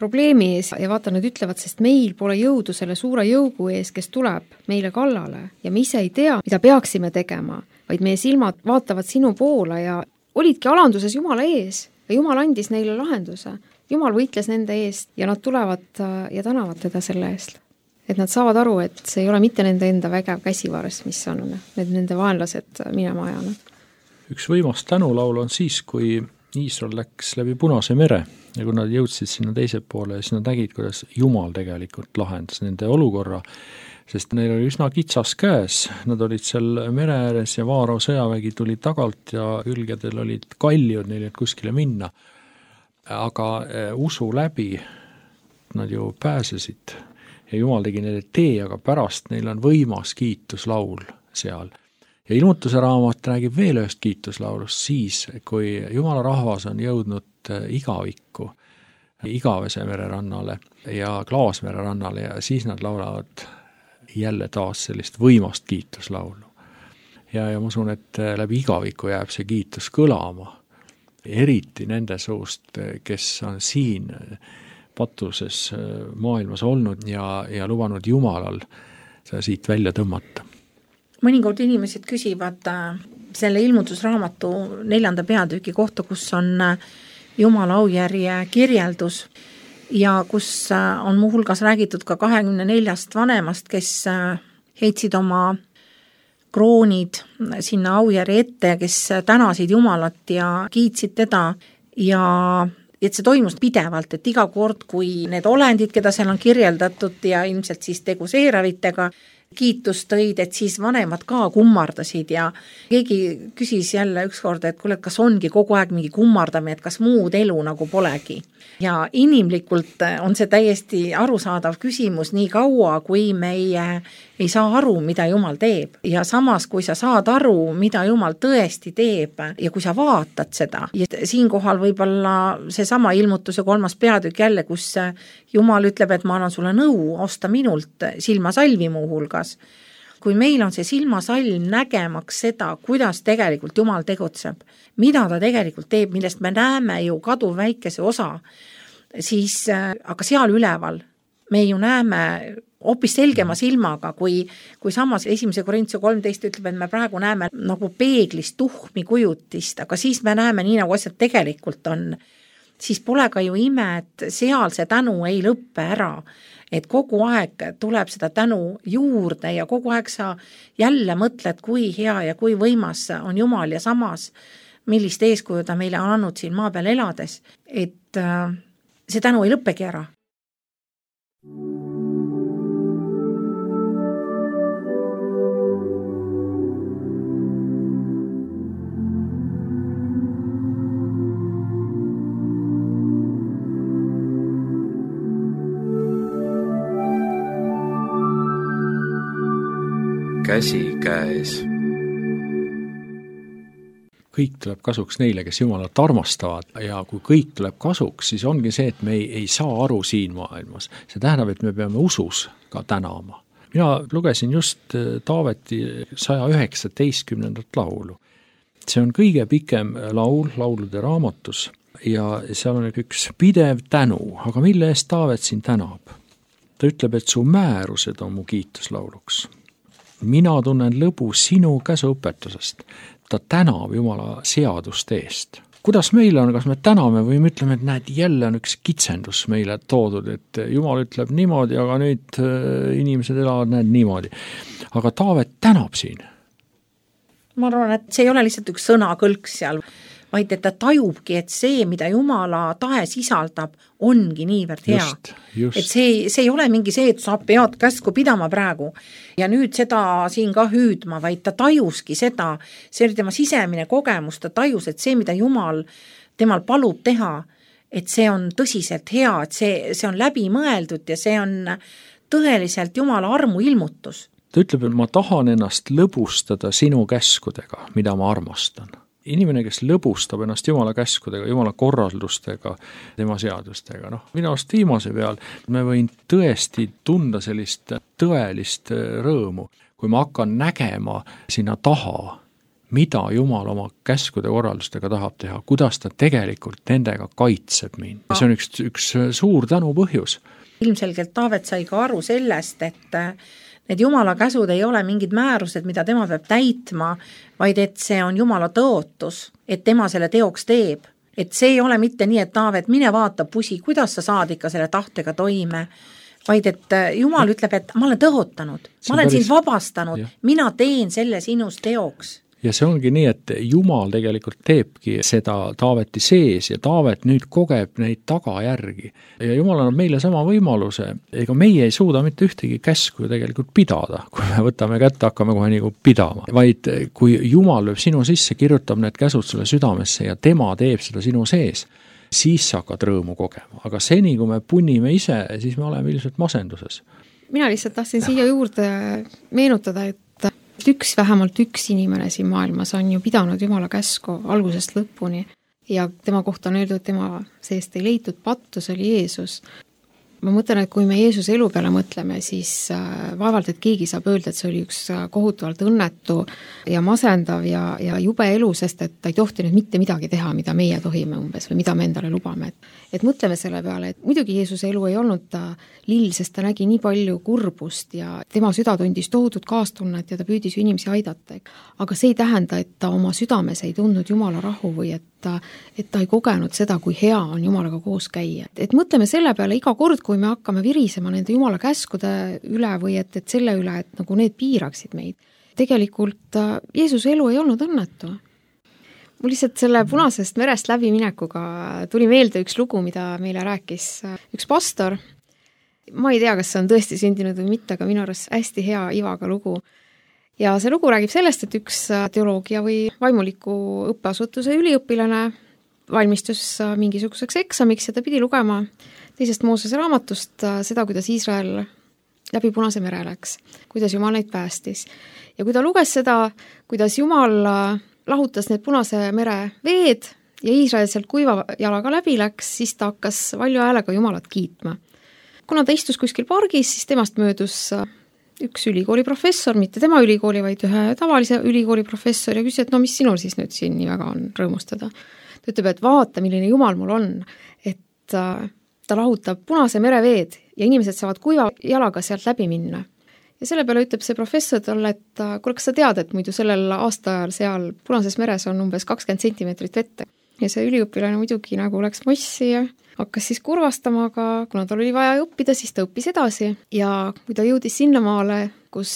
probleemi ees ja vaata, nad ütlevad, sest meil pole jõudu selle suure jõugu ees, kes tuleb meile kallale ja me ise ei tea, mida peaksime tegema, vaid meie silmad vaatavad sinu poole ja olidki alanduses Jumala ees ja Jumal andis neile lahenduse. Jumal võitles nende eest ja nad tulevad ja tänavad teda selle eest. Et nad saavad aru, et see ei ole mitte nende enda vägev käsivarst, mis on need nende vaenlased minema ajanud. Üks võimas tänulaul on siis, kui Iisrael läks läbi Punase mere ja kui nad jõudsid sinna teise poole, siis nad nägid, kuidas Jumal tegelikult lahendas nende olukorra, sest neil oli üsna kitsas käes, nad olid seal mere ääres ja Vaaro sõjavägi tuli tagalt ja külgedel olid kaljud, neil ei kuskile minna. Aga usu läbi nad ju pääsesid ja Jumal tegi neile tee, aga pärast neil on võimas kiituslaul seal. Ja ilmutuse raamat räägib veel ühest kiituslaulust siis, kui Jumala rahvas on jõudnud igavikku, Igavese mere rannale ja Klaasmere rannale ja siis nad laulavad jälle taas sellist võimast kiituslaulu. Ja ma usun, et läbi igaviku jääb see kiitus kõlama, eriti nende suust, kes on siin patuses maailmas olnud ja lubanud Jumalal seda siit välja tõmmata. Mõningad inimesed küsivad selle ilmutusraamatu 4. peatüki kohta, kus on Jumala aujärje kirjeldus ja kus on muuhulgas räägitud ka 24 vanemast, kes heitsid oma kroonid sinna aujärje ette, kes tänasid Jumalat ja kiitsid teda ja et see toimus pidevalt, et iga kord, kui need olendid, keda seal on kirjeldatud ja ilmselt siis tegu seeravitega, kiitus tõid, et siis vanemad ka kummardasid ja keegi küsis jälle ükskord, et kuule, kas ongi kogu aeg mingi kummardamine, et kas muud elu nagu polegi. Ja inimlikult on see täiesti arusaadav küsimus nii kaua, kui meie ei saa aru, mida Jumal teeb. Ja samas, kui sa saad aru, mida Jumal tõesti teeb ja kui sa vaatad seda, ja siinkohal võib-olla see sama ilmutuse 3. peatükk jälle, kus Jumal ütleb, et ma annan sulle nõu, osta minult silmasalvi muu hulgas. Kui meil on see silmasalm nägemaks seda, kuidas tegelikult Jumal tegutseb, mida ta tegelikult teeb, millest me näeme ju kaduv väikese osa, siis aga seal üleval me ju näeme hoopis selgema silmaga, kui samas 1. Korintuse 13 ütleb, et me praegu näeme nagu peeglist tuhmi kujutist, aga siis me näeme nii, nagu asjad tegelikult on. Siis pole ka ju ime, et seal see tänu ei lõppe ära, et kogu aeg tuleb seda tänu juurde ja kogu aeg sa jälle mõtled, kui hea ja kui võimas on Jumal ja samas, millist eeskuju ta meile on andnud siin maa peal elades, et see tänu ei lõppegi ära. Käsi käes. Kõik tuleb kasuks neile, kes Jumalat armastavad ja kui kõik tuleb kasuks, siis ongi see, et me ei saa aru siin maailmas. See tähendab, et me peame usus ka tänama. Mina lugesin just Taaveti 119. laulu. See on kõige pikem laul laulude raamatus ja seal on üks pidev tänu, aga mille eest Taavet siin tänab? Ta ütleb, et su määrused on mu kiituslauluks. Mina tunnen lõbu sinu käsuõpetusest. Ta tänab Jumala seaduste eest. Kuidas meil on, kas me täname või me ütleme, et näed, jälle on üks kitsendus meile toodud, et Jumal ütleb niimoodi, aga nüüd inimesed elavad näed niimoodi. Aga Taavet tänab siin. Ma arvan, et see ei ole lihtsalt üks sõnakõlk seal, vaid et ta tajubki, et see, mida Jumala tahe sisaldab, ongi niivõrd hea. Just. Et see ei ole mingi see, et sa pead käsku pidama praegu ja nüüd seda siin ka hüüdma, vaid ta tajuski seda, see oli tema sisemine kogemus, ta tajus, et see, mida Jumal temal palub teha, et see on tõsiselt hea, et see on läbi mõeldud ja see on tõeliselt Jumala armu ilmutus. Ta ütleb, et ma tahan ennast lõbustada sinu käskudega, mida ma armastan. Inimene, kes lõbustab ennast Jumala käskudega, Jumala korraldustega, tema seadustega, minu arust viimase peal me võin tõesti tunda sellist tõelist rõõmu, kui ma hakkan nägema sinna taha, mida Jumal oma käskude korraldustega tahab teha, kuidas ta tegelikult nendega kaitseb mind. Ja see on üks suur tänu põhjus. Ilmselgelt Taavet sai ka aru sellest, et need Jumala käsud ei ole mingid määrused, mida tema peab täitma, vaid et see on Jumala tõotus, et tema selle teoks teeb. Et see ei ole mitte nii, et Taavet, mine vaata pusi, kuidas sa saad ikka selle tahtega toime, vaid et Jumal ütleb, et ma olen tõotanud, ma olen sind vabastanud, mina teen selle sinus teoks. Ja see ongi nii, et Jumal tegelikult teebki seda Taaveti sees ja Taavet nüüd kogeb neid tagajärgi. Ja Jumal annab meile sama võimaluse, ega meie ei suuda mitte ühtegi käsku tegelikult pidada, kui me võtame kätte, hakkame kohe nagu pidama. Vaid kui Jumal lööb sinu sisse, kirjutab need käsud sulle südamesse ja tema teeb seda sinu sees, siis sa hakkad rõõmu kogema. Aga seni, kui me punnime ise, siis me oleme ilmselt masenduses. Mina lihtsalt tahtsin siia juurde meenutada, et vähemalt üks inimene siin maailmas on ju pidanud Jumala käsku algusest lõpuni ja tema kohta on öeldud, et tema seest ei leitud pattu, see oli Jeesus. Ma mõtlen, et kui me Jeesuse elu peale mõtleme, siis vaevalt, et keegi saab öelda, et see oli üks kohutavalt õnnetu ja masendav ja jube elu, sest et ta ei tohtinud mitte midagi teha, mida meie tohime umbes või mida me endale lubame. Et mõtleme selle peale, et muidugi Jeesuse elu ei olnud ta lill, sest ta nägi nii palju kurbust ja tema süda tundis tohutut kaastunnet ja ta püüdis inimesi aidata. Aga see ei tähenda, et ta oma südames ei tundnud Jumala rahu või et ta ei kogenud seda, kui hea on Jumalaga koos käia. Et mõtleme selle peale iga kord, kui me hakkame virisema nende Jumala käskude üle või et selle üle, et nagu need piiraksid meid. Tegelikult Jeesuse elu ei olnud õnnetu. Mul lihtsalt selle Punasest merest läbiminekuga tuli meelde üks lugu, mida meile rääkis üks pastor. Ma ei tea, kas see on tõesti sündinud või mitte, aga minu arust hästi hea ivaga lugu. Ja see lugu räägib sellest, et üks teoloogia või vaimuliku õppeasutuse üliõpilane valmistus mingisuguseks eksamiks ja ta pidi lugema teisest Moosese raamatust seda, kuidas Iisrael läbi Punase mere läks, kuidas Jumal neid päästis. Ja kui ta luges seda, kuidas Jumal lahutas need Punase mere veed ja Iisrael sealt kuiva jalaga läbi läks, siis ta hakkas valju häälega Jumalat kiitma. Kuna ta istus kuskil pargis, siis temast möödus üks ülikooli professor, mitte tema ülikooli, vaid ühe tavalise ülikooli professor ja küsis, et mis sinul siis nüüd siin nii väga on rõõmustada. Ta ütleb, et vaata, milline Jumal mul on, et ta lahutab Punase mere veed ja inimesed saavad kuiva jalaga sealt läbi minna. Ja selle peale ütleb see professor talle, et kuule, kas sa tead, et muidu sellel aastaajal seal Punases meres on umbes 20 sentimeetrit vette. Ja see üliõpilane muidugi nagu läks mossi ja hakkas siis kurvastama, aga kuna tal oli vaja õppida, siis ta õppis edasi ja kui ta jõudis sinnamaale, kus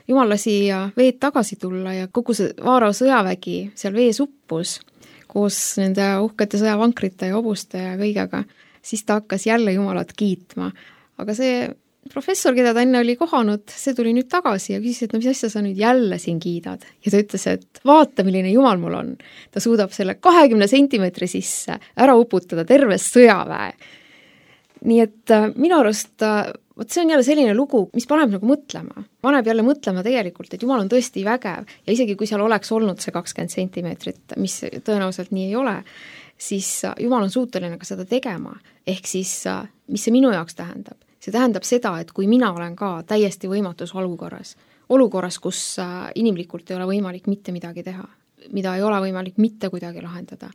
Jumal lasi veed tagasi tulla ja kogu see Vaarao sõjavägi seal vees uppus koos nende uhkete sõjavankrite ja hobuste ja kõigega, siis ta hakkas jälle Jumalat kiitma. Aga see professor, keda ta enne oli kohanud, see tuli nüüd tagasi ja küsis, et mis asja sa nüüd jälle siin kiidad. Ja ta ütles, et vaata, milline Jumal mul on. Ta suudab selle 20 sentimeetri sisse ära uputada terves sõjaväe. Nii et minu arust, see on jälle selline lugu, mis paneb nagu mõtlema. Paneb jälle mõtlema tegelikult, et Jumal on tõesti vägev ja isegi kui seal oleks olnud see 20 sentimeetrit, mis tõenäoliselt nii ei ole, siis Jumal on suuteline ka seda tegema. Ehk siis, mis see minu jaoks tähendab? See tähendab seda, et kui mina olen ka täiesti võimatus olukorras, kus inimlikult ei ole võimalik mitte midagi teha, mida ei ole võimalik mitte kuidagi lahendada,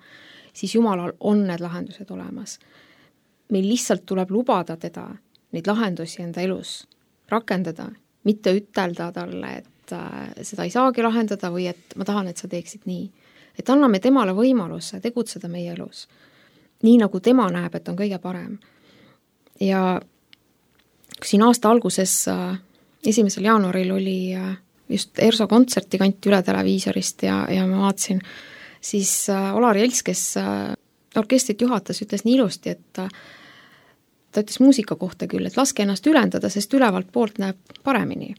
siis Jumalal on need lahendused olemas. Meil lihtsalt tuleb lubada teda neid lahendusi enda elus rakendada, mitte ütelda talle, et seda ei saagi lahendada või et ma tahan, et sa teeksid nii. Et anname temale võimaluse tegutseda meie elus. Nii nagu tema näeb, et on kõige parem. Ja siin aasta alguses 1. jaanuaril oli just ERSO kontserti kanti üle televiisorist ja ma vaatasin, siis Olar Jels, kes orkestrit juhatas, ütles nii ilusti, et ta ütles muusika kohta küll, et laske ennast ülendada, sest ülevalt poolt näeb paremini.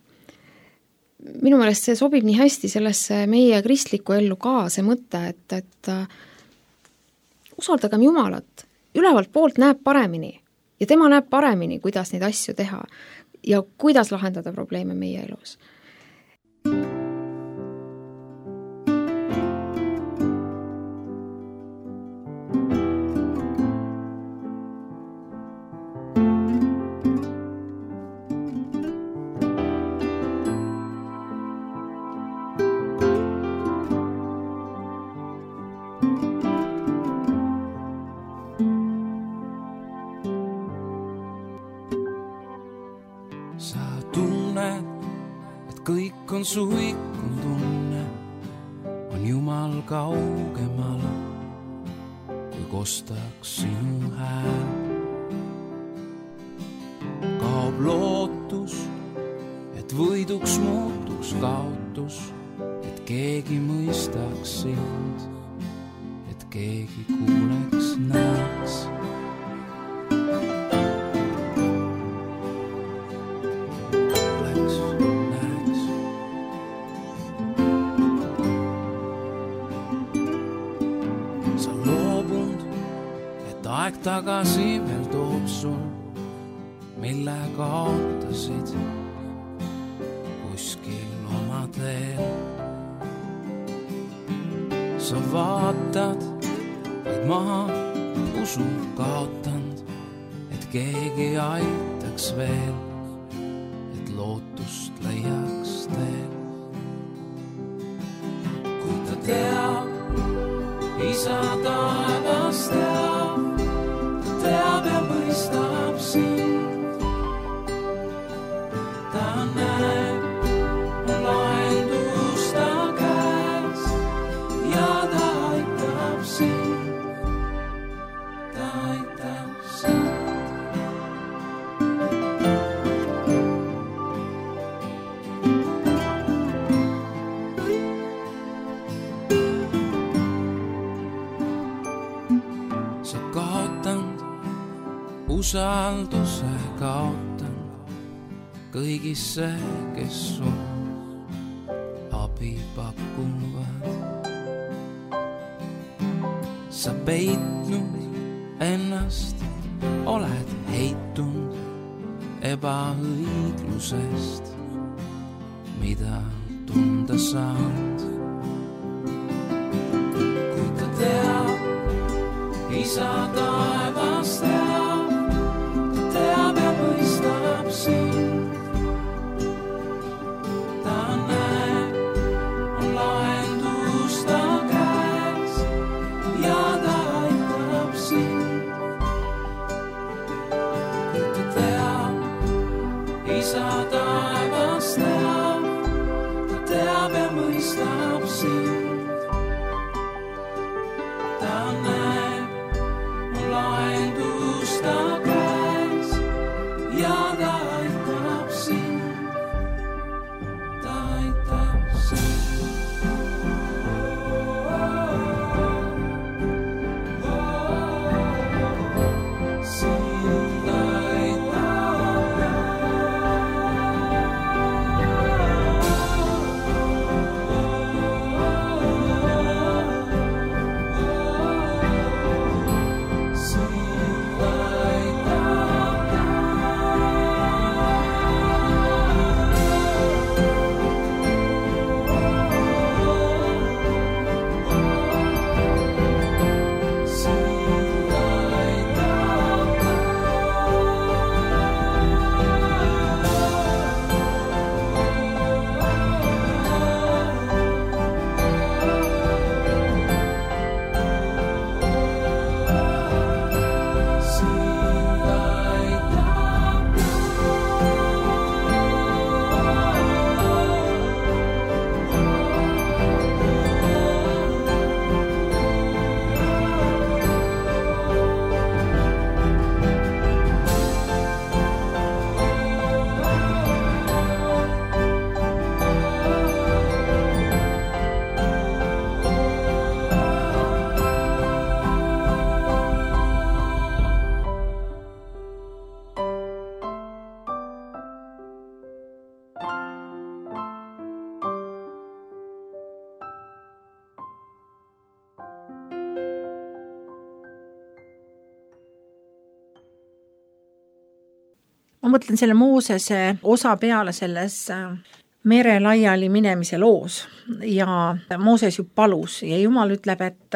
Minu meelest see sobib nii hästi sellesse meie kristlikku ellu ka see mõte, et usaldagem Jumalat ülevalt poolt näeb paremini ja tema näeb paremini, kuidas neid asju teha ja kuidas lahendada probleeme meie elus. Su ikkun tunne on Jumal kaugemal, kui kostaks sinu hääl. Kaob lootus, et võiduks muutuks kaotus, et keegi mõistaks sind, et keegi kuuleks, näeks. Aeg tagasi veel toob sul, mille kaotasid kuskil oma teel. Sa vaatad, vaid maha usu kaotanud, et keegi aitaks veel, et lootust leiaks teel. Kui ta teab, isa taevas teab, teab ja mõistab sind. Ta näeb, on lahendus ta käes ja ta aitab sind. Ta aitab sind. Sa kaotanud usalduse kaotan kõigisse, kes sul abi pakuvad. Sa peitnud ennast, oled heitunud ebaõiglusest, mida tunda saad. Kui ta teab, isa taevas teab, teab ja mõistab sind. Ta näeb, on lahendus ta käes ja ta aitab sind. Ta teab, isa taevas teab, ta teab ja mõistab sind. Ta näeb, on lahendus ta käes ja ta aitab sind. Ta aitab sind. Sind aitab. ma mõtlen selle Moosese osa peale selles mere laiali minemise loos ja Mooses ju palus ja Jumal ütleb, et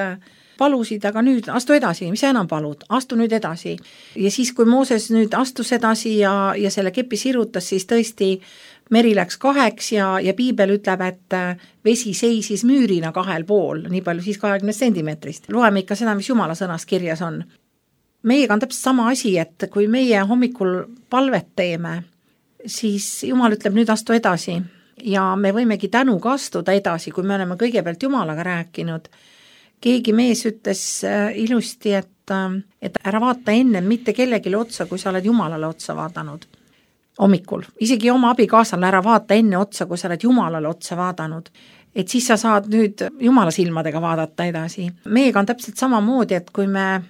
palusid, aga nüüd astu edasi, mis sa enam palud, astu nüüd edasi. Ja siis, kui Mooses nüüd astus edasi ja selle kepi sirutas, siis tõesti meri läks 2 ja piibel ütleb, et vesi seisis müürina 2 pool, nii palju siis 20 sentimeetrist. Loeme ikka seda, mis Jumala sõnas kirjas on. Meiega on täpselt sama asi, et kui meie hommikul palvet teeme, siis Jumal ütleb nüüd astu edasi ja me võimegi tänuga astuda edasi, kui me oleme kõigepealt Jumalaga rääkinud. Keegi mees ütles ilusti, et ära vaata enne mitte kellelegi otsa, kui sa oled Jumalale otsa vaadanud. Hommikul, isegi oma abikaasale ära vaata enne otsa, kui sa oled Jumalale otsa vaadanud. Et siis sa saad nüüd Jumala silmadega vaadata edasi. Meiega on täpselt samamoodi, et kui me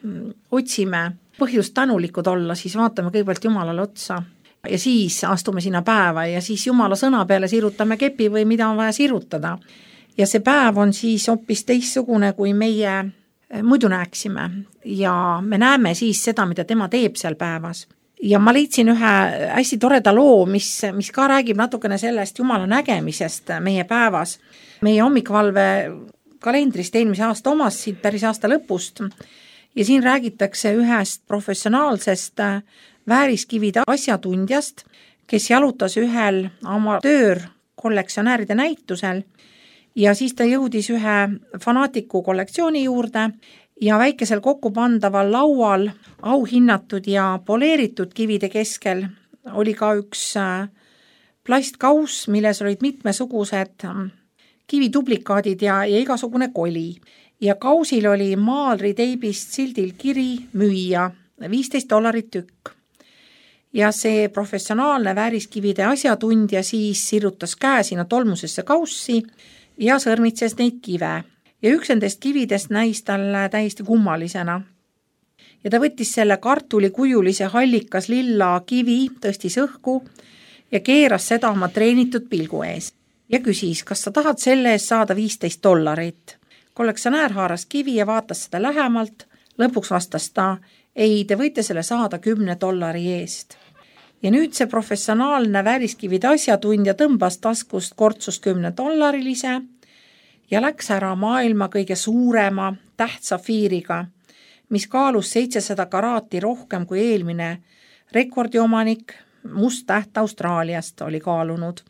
otsime põhjust tänulikud olla, siis vaatame kõigepealt Jumalale otsa ja siis astume sinna päeva ja siis Jumala sõna peale sirutame kepi või mida on vaja sirutada. Ja see päev on siis hoopis teistsugune, kui meie muidu näeksime ja me näeme siis seda, mida tema teeb seal päevas. Ja ma leidsin ühe hästi toreda loo, mis ka räägib natukene sellest Jumala nägemisest meie päevas. Meie hommikvalve kalendrist eelmise aasta omast, siit päris aasta lõpust ja siin räägitakse ühest professionaalsest vääriskivide asjatundjast, kes jalutas ühel amatöörkollektsionääride näitusel ja siis ta jõudis ühe fanaatiku kollektsiooni juurde ja väikesel kokkupandaval laual auhinnatud ja poleeritud kivide keskel oli ka üks plastkauss, milles olid mitmesugused kivituplikaadid ja igasugune koli. Ja kausil oli maalriteibist sildil kiri müüa $15 tükk. Ja see professionaalne vääriskivide asjatundja siis sirutas käe sinna tolmusesse kaussi ja sõrmitses neid kive. Ja üks nendest kividest näis talle täiesti kummalisena. Ja ta võttis selle kartulikujulise hallikas lilla kivi, tõstis õhku ja keeras seda oma treenitud pilgu ees. Ja küsis, kas sa tahad selle eest saada $15? Kollektsionäär haaras kivi ja vaatas seda lähemalt. Lõpuks vastas ta, ei, te võite selle saada $10 eest. Ja nüüd see professionaalne vääriskivide asjatundja tõmbas taskust kortsus $10 ja läks ära maailma kõige suurema tähtsafiiriga, mis kaalus 700 karaati rohkem kui eelmine rekordiomanik must täht Austraaliast oli kaalunud.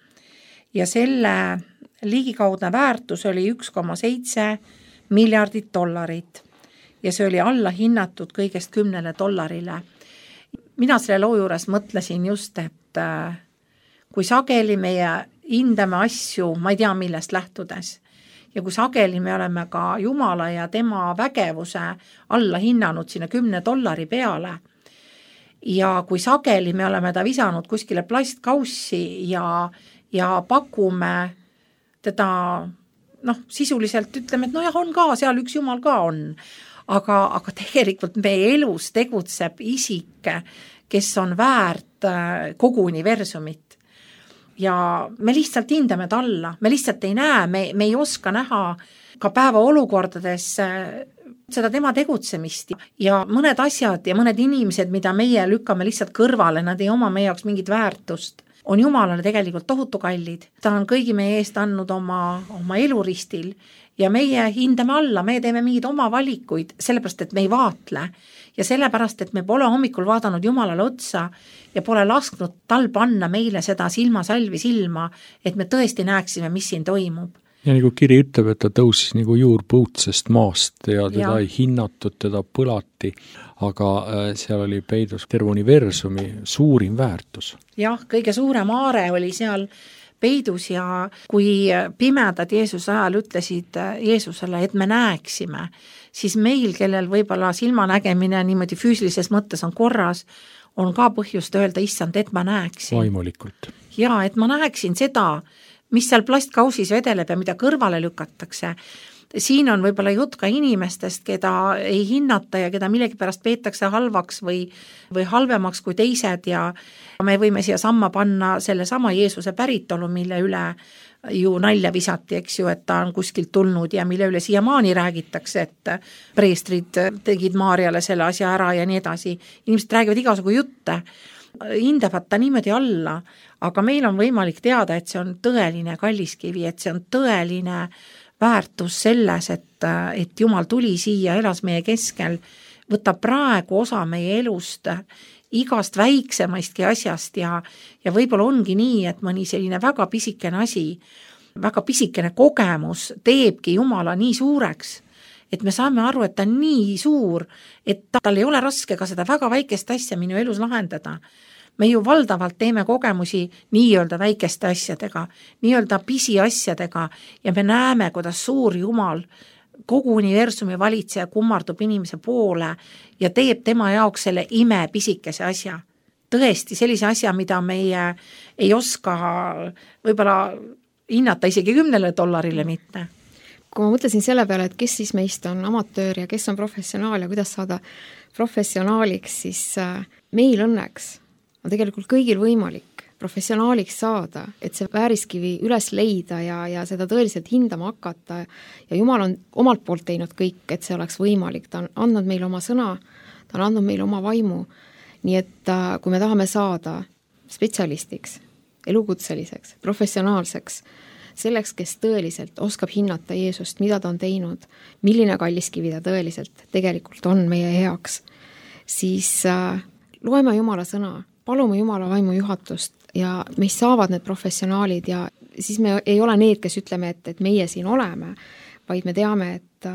Ja selle ligikaudne väärtus oli $1,7 miljardit. Ja see oli alla hinnatud kõigest $10. Mina selle loo juures mõtlesin just, et kui sageli meie hindame asju, ma ei tea millest lähtudes, ja kui sageli me oleme ka Jumala ja tema vägevuse alla hinnanud sinna $10 peale ja kui sageli me oleme ta visanud kuskile plastkaussi ja pakume teda, sisuliselt ütleme, et jah, on ka, seal üks Jumal ka on. Aga tegelikult meie elus tegutseb isik, kes on väärt kogu universumit. Ja me lihtsalt hindame ta alla, me lihtsalt ei näe, me ei oska näha ka päeva olukordades seda tema tegutsemist ja mõned asjad ja mõned inimesed, mida meie lükkame lihtsalt kõrvale, nad ei oma meie jaoks mingit väärtust, on Jumalale tegelikult tohutu kallid. Ta on kõigi meie eest andnud oma eluristil ja meie hindame alla, me teeme mingid oma valikuid, sellepärast, et me ei vaatle ja sellepärast, et me pole hommikul vaadanud Jumalale otsa ja pole lasknud tal panna meile seda silmasalvi silma, et me tõesti näeksime, mis siin toimub. Ja nagu kiri ütleb, et ta tõusis nagu juurpõutsest maast ja teda ei hinnatud, teda põlati, aga seal oli peidus terve universumi suurim väärtus. Jah, kõige suurem aare oli seal peidus ja kui pimedad Jeesuse ajal ütlesid Jeesusele, et me näeksime, siis meil, kellel võib-olla silmanägemine niimoodi füüsilises mõttes on korras, on ka põhjust öelda, issand, et ma näeksin. Vaimulikult. Ja, et ma näeksin seda, mis seal plastkausis vedeleb ja mida kõrvale lükatakse. Siin on võib-olla jutt ka inimestest, keda ei hinnata ja keda millegipärast peetakse halvaks või halvemaks kui teised ja me võime siia samma panna selle sama Jeesuse päritolu, mille üle ju nalja visati, eks ju, et ta on kuskilt tulnud ja mille üle siiamaani räägitakse, et preestrid tegid Maarjale selle asja ära ja nii edasi. Inimesed räägivad igasugu jutte hindavad ta niimoodi alla, aga meil on võimalik teada, et see on tõeline kalliskivi, et see on tõeline väärtus selles, et Jumal tuli siia, elas meie keskel, võtab praegu osa meie elust, igast väiksemaistki asjast ja võib-olla ongi nii, et mõni selline väga pisikene asi, väga pisikene kogemus teebki Jumala nii suureks, et me saame aru, et ta on nii suur, et tal ei ole raske ka seda väga väikest asja minu elus lahendada. Me ju valdavalt teeme kogemusi nii-öelda väikeste asjadega, nii-öelda pisiasjadega ja me näeme, kuidas suur Jumal kogu universumi valitseja kummardub inimese poole ja teeb tema jaoks selle pisikese asja. Tõesti, sellise asja, mida meie ei oska võib-olla hinnata isegi $10 mitte. Kui ma mõtlesin selle peale, et kes siis meist on amatöör ja kes on professionaal ja kuidas saada professionaaliks, siis meil õnneks on tegelikult kõigil võimalik professionaaliks saada, et see vääriskivi üles leida ja seda tõeliselt hindama hakata ja Jumal on omalt poolt teinud kõik, et see oleks võimalik, ta on andnud meile oma sõna, ta on andnud meile oma vaimu, nii et kui me tahame saada spetsialistiks, elukutseliseks, professionaalseks, selleks, kes tõeliselt oskab hinnata Jeesust, mida ta on teinud, milline kalliskivi ta tõeliselt tegelikult on meie heaks, siis loeme Jumala sõna, palume Jumala vaimu juhatust ja meist saavad need professionaalid ja siis me ei ole need, kes ütleme, et meie siin oleme, vaid me teame, et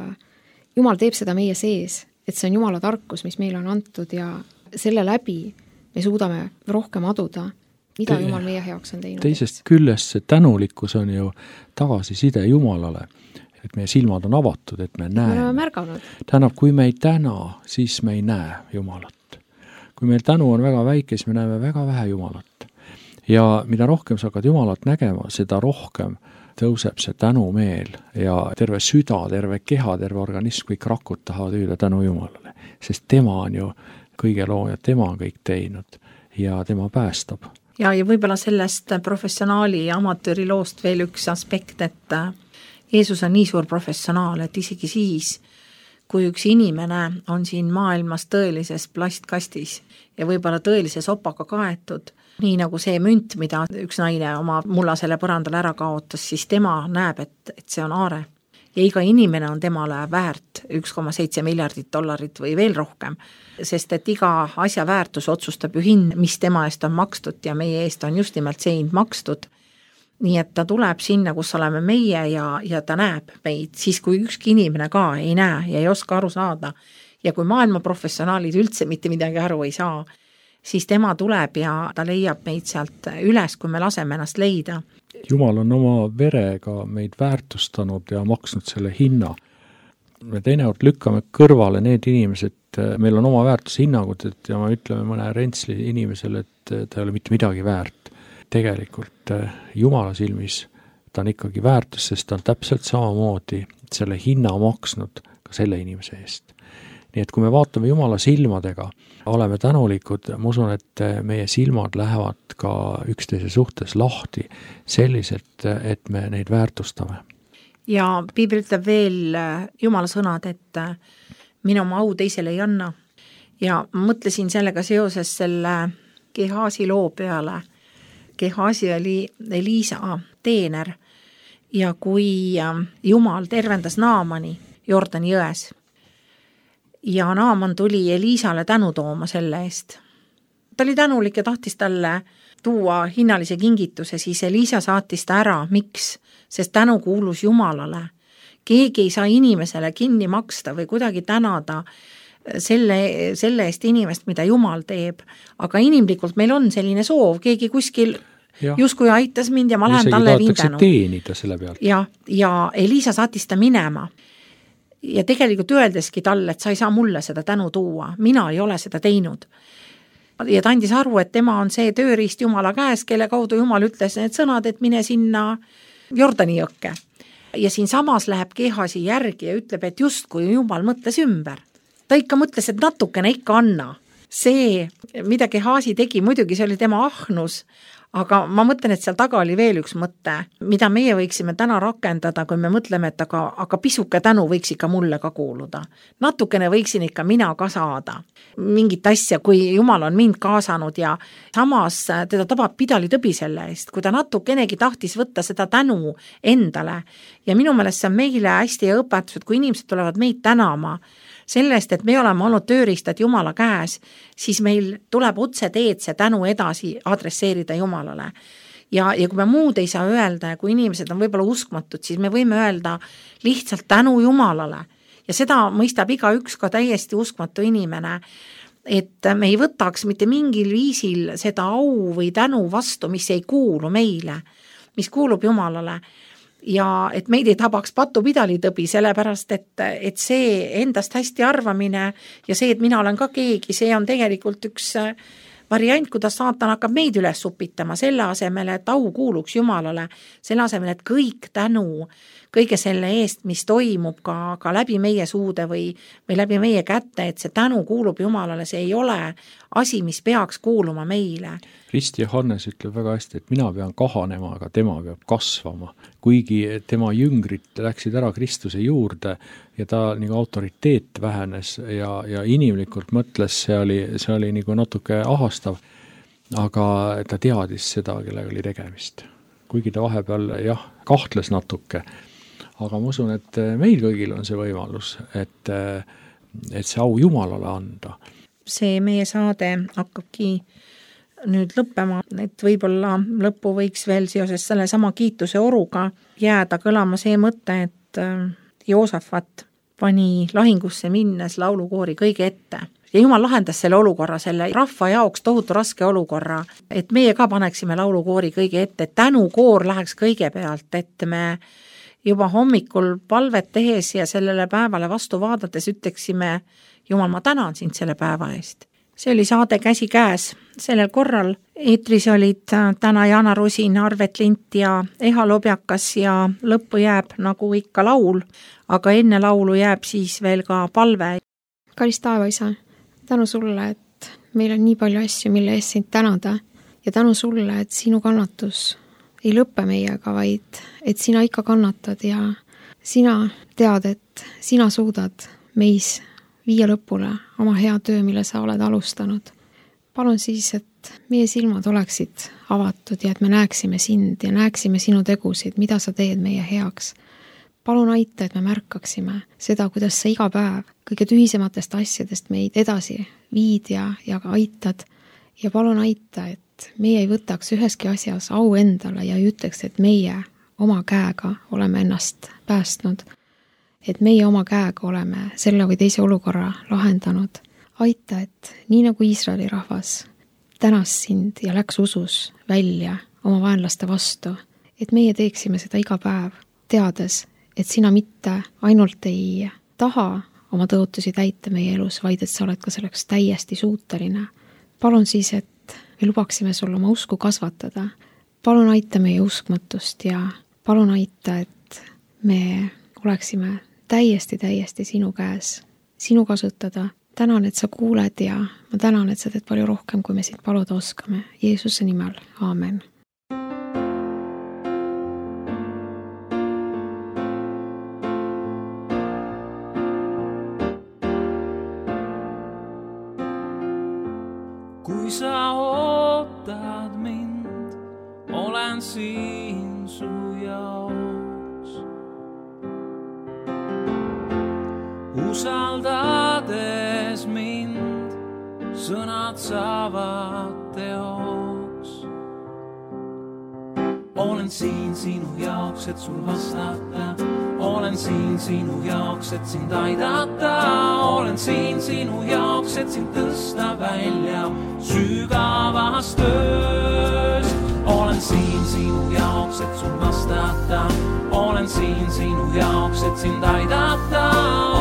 Jumal teeb seda meie sees, et see on Jumala tarkus, mis meile on antud ja selle läbi me suudame rohkem aduda, mida Jumal meie heaks on teinud. Teisest küljest see tänulikkus on ju tagasiside Jumalale, et meie silmad on avatud, et me näeme. Tähendab, kui me ei täna, siis me ei näe Jumalat. Kui meil tänu on väga väike, siis me näeme väga vähe Jumalat. Ja mida rohkem sa hakkad Jumalat nägema, seda rohkem tõuseb see tänumeel ja terve süda, terve keha, terve organism, kõik rakud tahavad hüüda tänu Jumalale. Sest tema on ju kõige looja, tema on kõik teinud ja tema päästab. Ja võib-olla sellest professionaali ja amatööri loost veel üks aspekt, et Jeesus on nii suur professionaal, et isegi siis, kui üks inimene on siin maailmas tõelises plastkastis ja võib-olla tõelises opaga kaetud, nii nagu see münt, mida üks naine oma mullasele põrandale ära kaotas, siis tema näeb, et see on aare. Ja iga inimene on temale väärt $1,7 miljardit või veel rohkem, sest et iga asja väärtus otsustab ju hind, mis tema eest on makstud ja meie eest on just nimelt see hind makstud. Nii et ta tuleb sinna, kus oleme meie ja ta näeb meid, siis kui ükski inimene ka ei näe ja ei oska aru saada ja kui maailma professionaalid üldse mitte midagi aru ei saa, siis tema tuleb ja ta leiab meid sealt üles, kui me laseme ennast leida. Jumal on oma verega meid väärtustanud ja maksnud selle hinna. Me teinekord lükkame kõrvale need inimesed, meil on oma väärtushinnangud, ja me ütleme mõne rentsli inimesele, et ta ei ole mitte midagi väärt. Tegelikult Jumala silmis ta on ikkagi väärtus, sest ta on täpselt samamoodi selle hinna maksnud ka selle inimese eest. Nii et kui me vaatame Jumala silmadega, oleme tänulikud, ma usun, et meie silmad lähevad ka üksteise suhtes lahti selliselt, et me neid väärtustame. Ja Piibel ütleb veel Jumala sõnad, et minu oma au teisele ei anna. Ja mõtlesin sellega seoses selle Gehazi loo peale. Gehazi oli Eliisa teener ja kui Jumal tervendas Naamani Jordani jões ja Naaman tuli Eliisale tänu tooma selle eest. Ta oli tänulik ja tahtis talle tuua hinnalise kingituse, siis Eliisa saatis ta ära. Miks? Sest tänu kuulus Jumalale. Keegi ei saa inimesele kinni maksta või kuidagi tänada selle eest inimest, mida Jumal teeb. Aga inimlikult meil on selline soov, keegi kuskil justkui aitas mind ja ma lähen talle viin tänu. Teenida selle pealt. Ja Eliisa saatis ta minema. Ja tegelikult öeldeski talle, et sa ei saa mulle seda tänu tuua, mina ei ole seda teinud. Ja ta andis aru, et tema on see tööriist Jumala käes, kelle kaudu Jumal ütles need sõnad, et mine sinna Jordani jõkke. Ja siin samas läheb Gehazi järgi ja ütleb, et just kui Jumal mõtles ümber. Ta ikka mõtles, et natukene ikka anna. see, mida Gehazi tegi, muidugi see oli tema ahnus, aga ma mõtlen, et seal taga oli veel üks mõte, mida meie võiksime täna rakendada, kui me mõtleme, et aga pisuke tänu võiks ikka mulle ka kuuluda. Natukene võiksin ikka mina ka saada mingit asja, kui Jumal on mind kaasanud ja samas teda tabab pidalitõbi selle eest, kui ta natukenegi tahtis võtta seda tänu endale. Ja minu meelest see on meile hästi õpetus, et kui inimesed tulevad meid tänama sellest, et me oleme olnud tööriistad Jumala käes, siis meil tuleb otse teed see tänu edasi adresseerida Jumalale. Ja kui me muud ei saa öelda ja kui inimesed on võib-olla uskmatud, siis me võime öelda lihtsalt tänu Jumalale. Ja seda mõistab igaüks ka täiesti uskmatu inimene, et me ei võtaks mitte mingil viisil seda au või tänu vastu, mis ei kuulu meile, mis kuulub Jumalale. Ja et meid ei tabaks patupidalitõbi, sellepärast, et see endast hästi arvamine ja see, et mina olen ka keegi, see on tegelikult üks variant, kuidas saatan hakkab meid üles supitama selle asemel, et au kuuluks Jumalale, selle asemel, et kõik tänu kõige selle eest, mis toimub ka läbi meie suude või läbi meie kätte, et see tänu kuulub Jumalale, see ei ole asi, mis peaks kuuluma meile. Rist Johannes ütleb väga hästi, et mina pean kahanema, aga tema peab kasvama. Kuigi tema jüngrid läksid ära Kristuse juurde ja ta nagu autoriteet vähenes ja inimlikult mõtles, see oli nagu natuke ahastav, aga ta teadis seda, kellega oli tegemist. Kuigi ta vahepeal kahtles natuke, aga ma usun, et meil kõigil on see võimalus, et see au Jumalale anda. See meie saade hakkabki nüüd lõppema, et võib-olla lõppu võiks veel seoses selle sama kiituse oruga jääda kõlama see mõte, et Joosafat pani lahingusse minnes laulukoori kõige ette. Ja Jumal lahendas selle olukorra, selle rahva jaoks tohutu raske olukorra, et meie ka paneksime laulukoori kõige ette, et tänukoor läheks kõige pealt, et me juba hommikul palvet tehes ja sellele päevale vastu vaadates ütleksime, Jumal, ma tänan sind selle päeva eest. See oli saade Käsi käes. Sellel korral eetris olid täna Jana Rusin, Arvet Lint ja Eha Lobjakas ja lõppu jääb nagu ikka laul, aga enne laulu jääb siis veel ka palve. Kallis taevaisa, tänu sulle, et meil on nii palju asju, mille eest sind tänada ja tänu sulle, et sinu kannatus ei lõppe meiega, vaid et sina ikka kannatad ja sina tead, et sina suudad meis viia lõpule oma hea töö, mille sa oled alustanud. Palun siis, et meie silmad oleksid avatud ja et me näeksime sind ja näeksime sinu tegusid, mida sa teed meie heaks. Palun aita, et me märkaksime seda, kuidas sa iga päev kõige tühisematest asjadest meid edasi viid ja aitad. Ja palun aita, et meie ei võtaks üheski asjas au endale ja ei ütleks, et meie oma käega oleme ennast päästnud. Et meie oma käega oleme selle või teise olukorra lahendanud. Aita, et nii nagu Iisraeli rahvas tänas sind ja läks usus välja oma vaenlaste vastu, et meie teeksime seda iga päev, teades, et sina mitte ainult ei taha oma tõotusi täita meie elus, vaid et sa oled ka selleks täiesti suuteline. Palun siis, et me lubaksime sul oma usku kasvatada. Palun aita meie uskmatust ja palun aita, et me oleksime täiesti sinu käes, sinu kasutada. Tänan, et sa kuuled ja ma tänan, et sa teed palju rohkem, kui me sind paluda oskame. Jeesuse nimel, aamen. Kui sa ootad mind, olen siin su jaoks. Usaldades mind, sõnad saavad teoks. Olen siin sinu jaoks, et sul vastata. Olen siin sinu jaoks, et sind aidata. Olen siin sinu jaoks, et sind tõsta välja sügavast tööst. Olen siin sinu jaoks, et sul vastata. Olen siin sinu jaoks, et sind aidata.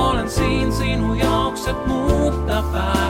Olen siin sinu jaoks, et muuta päeva.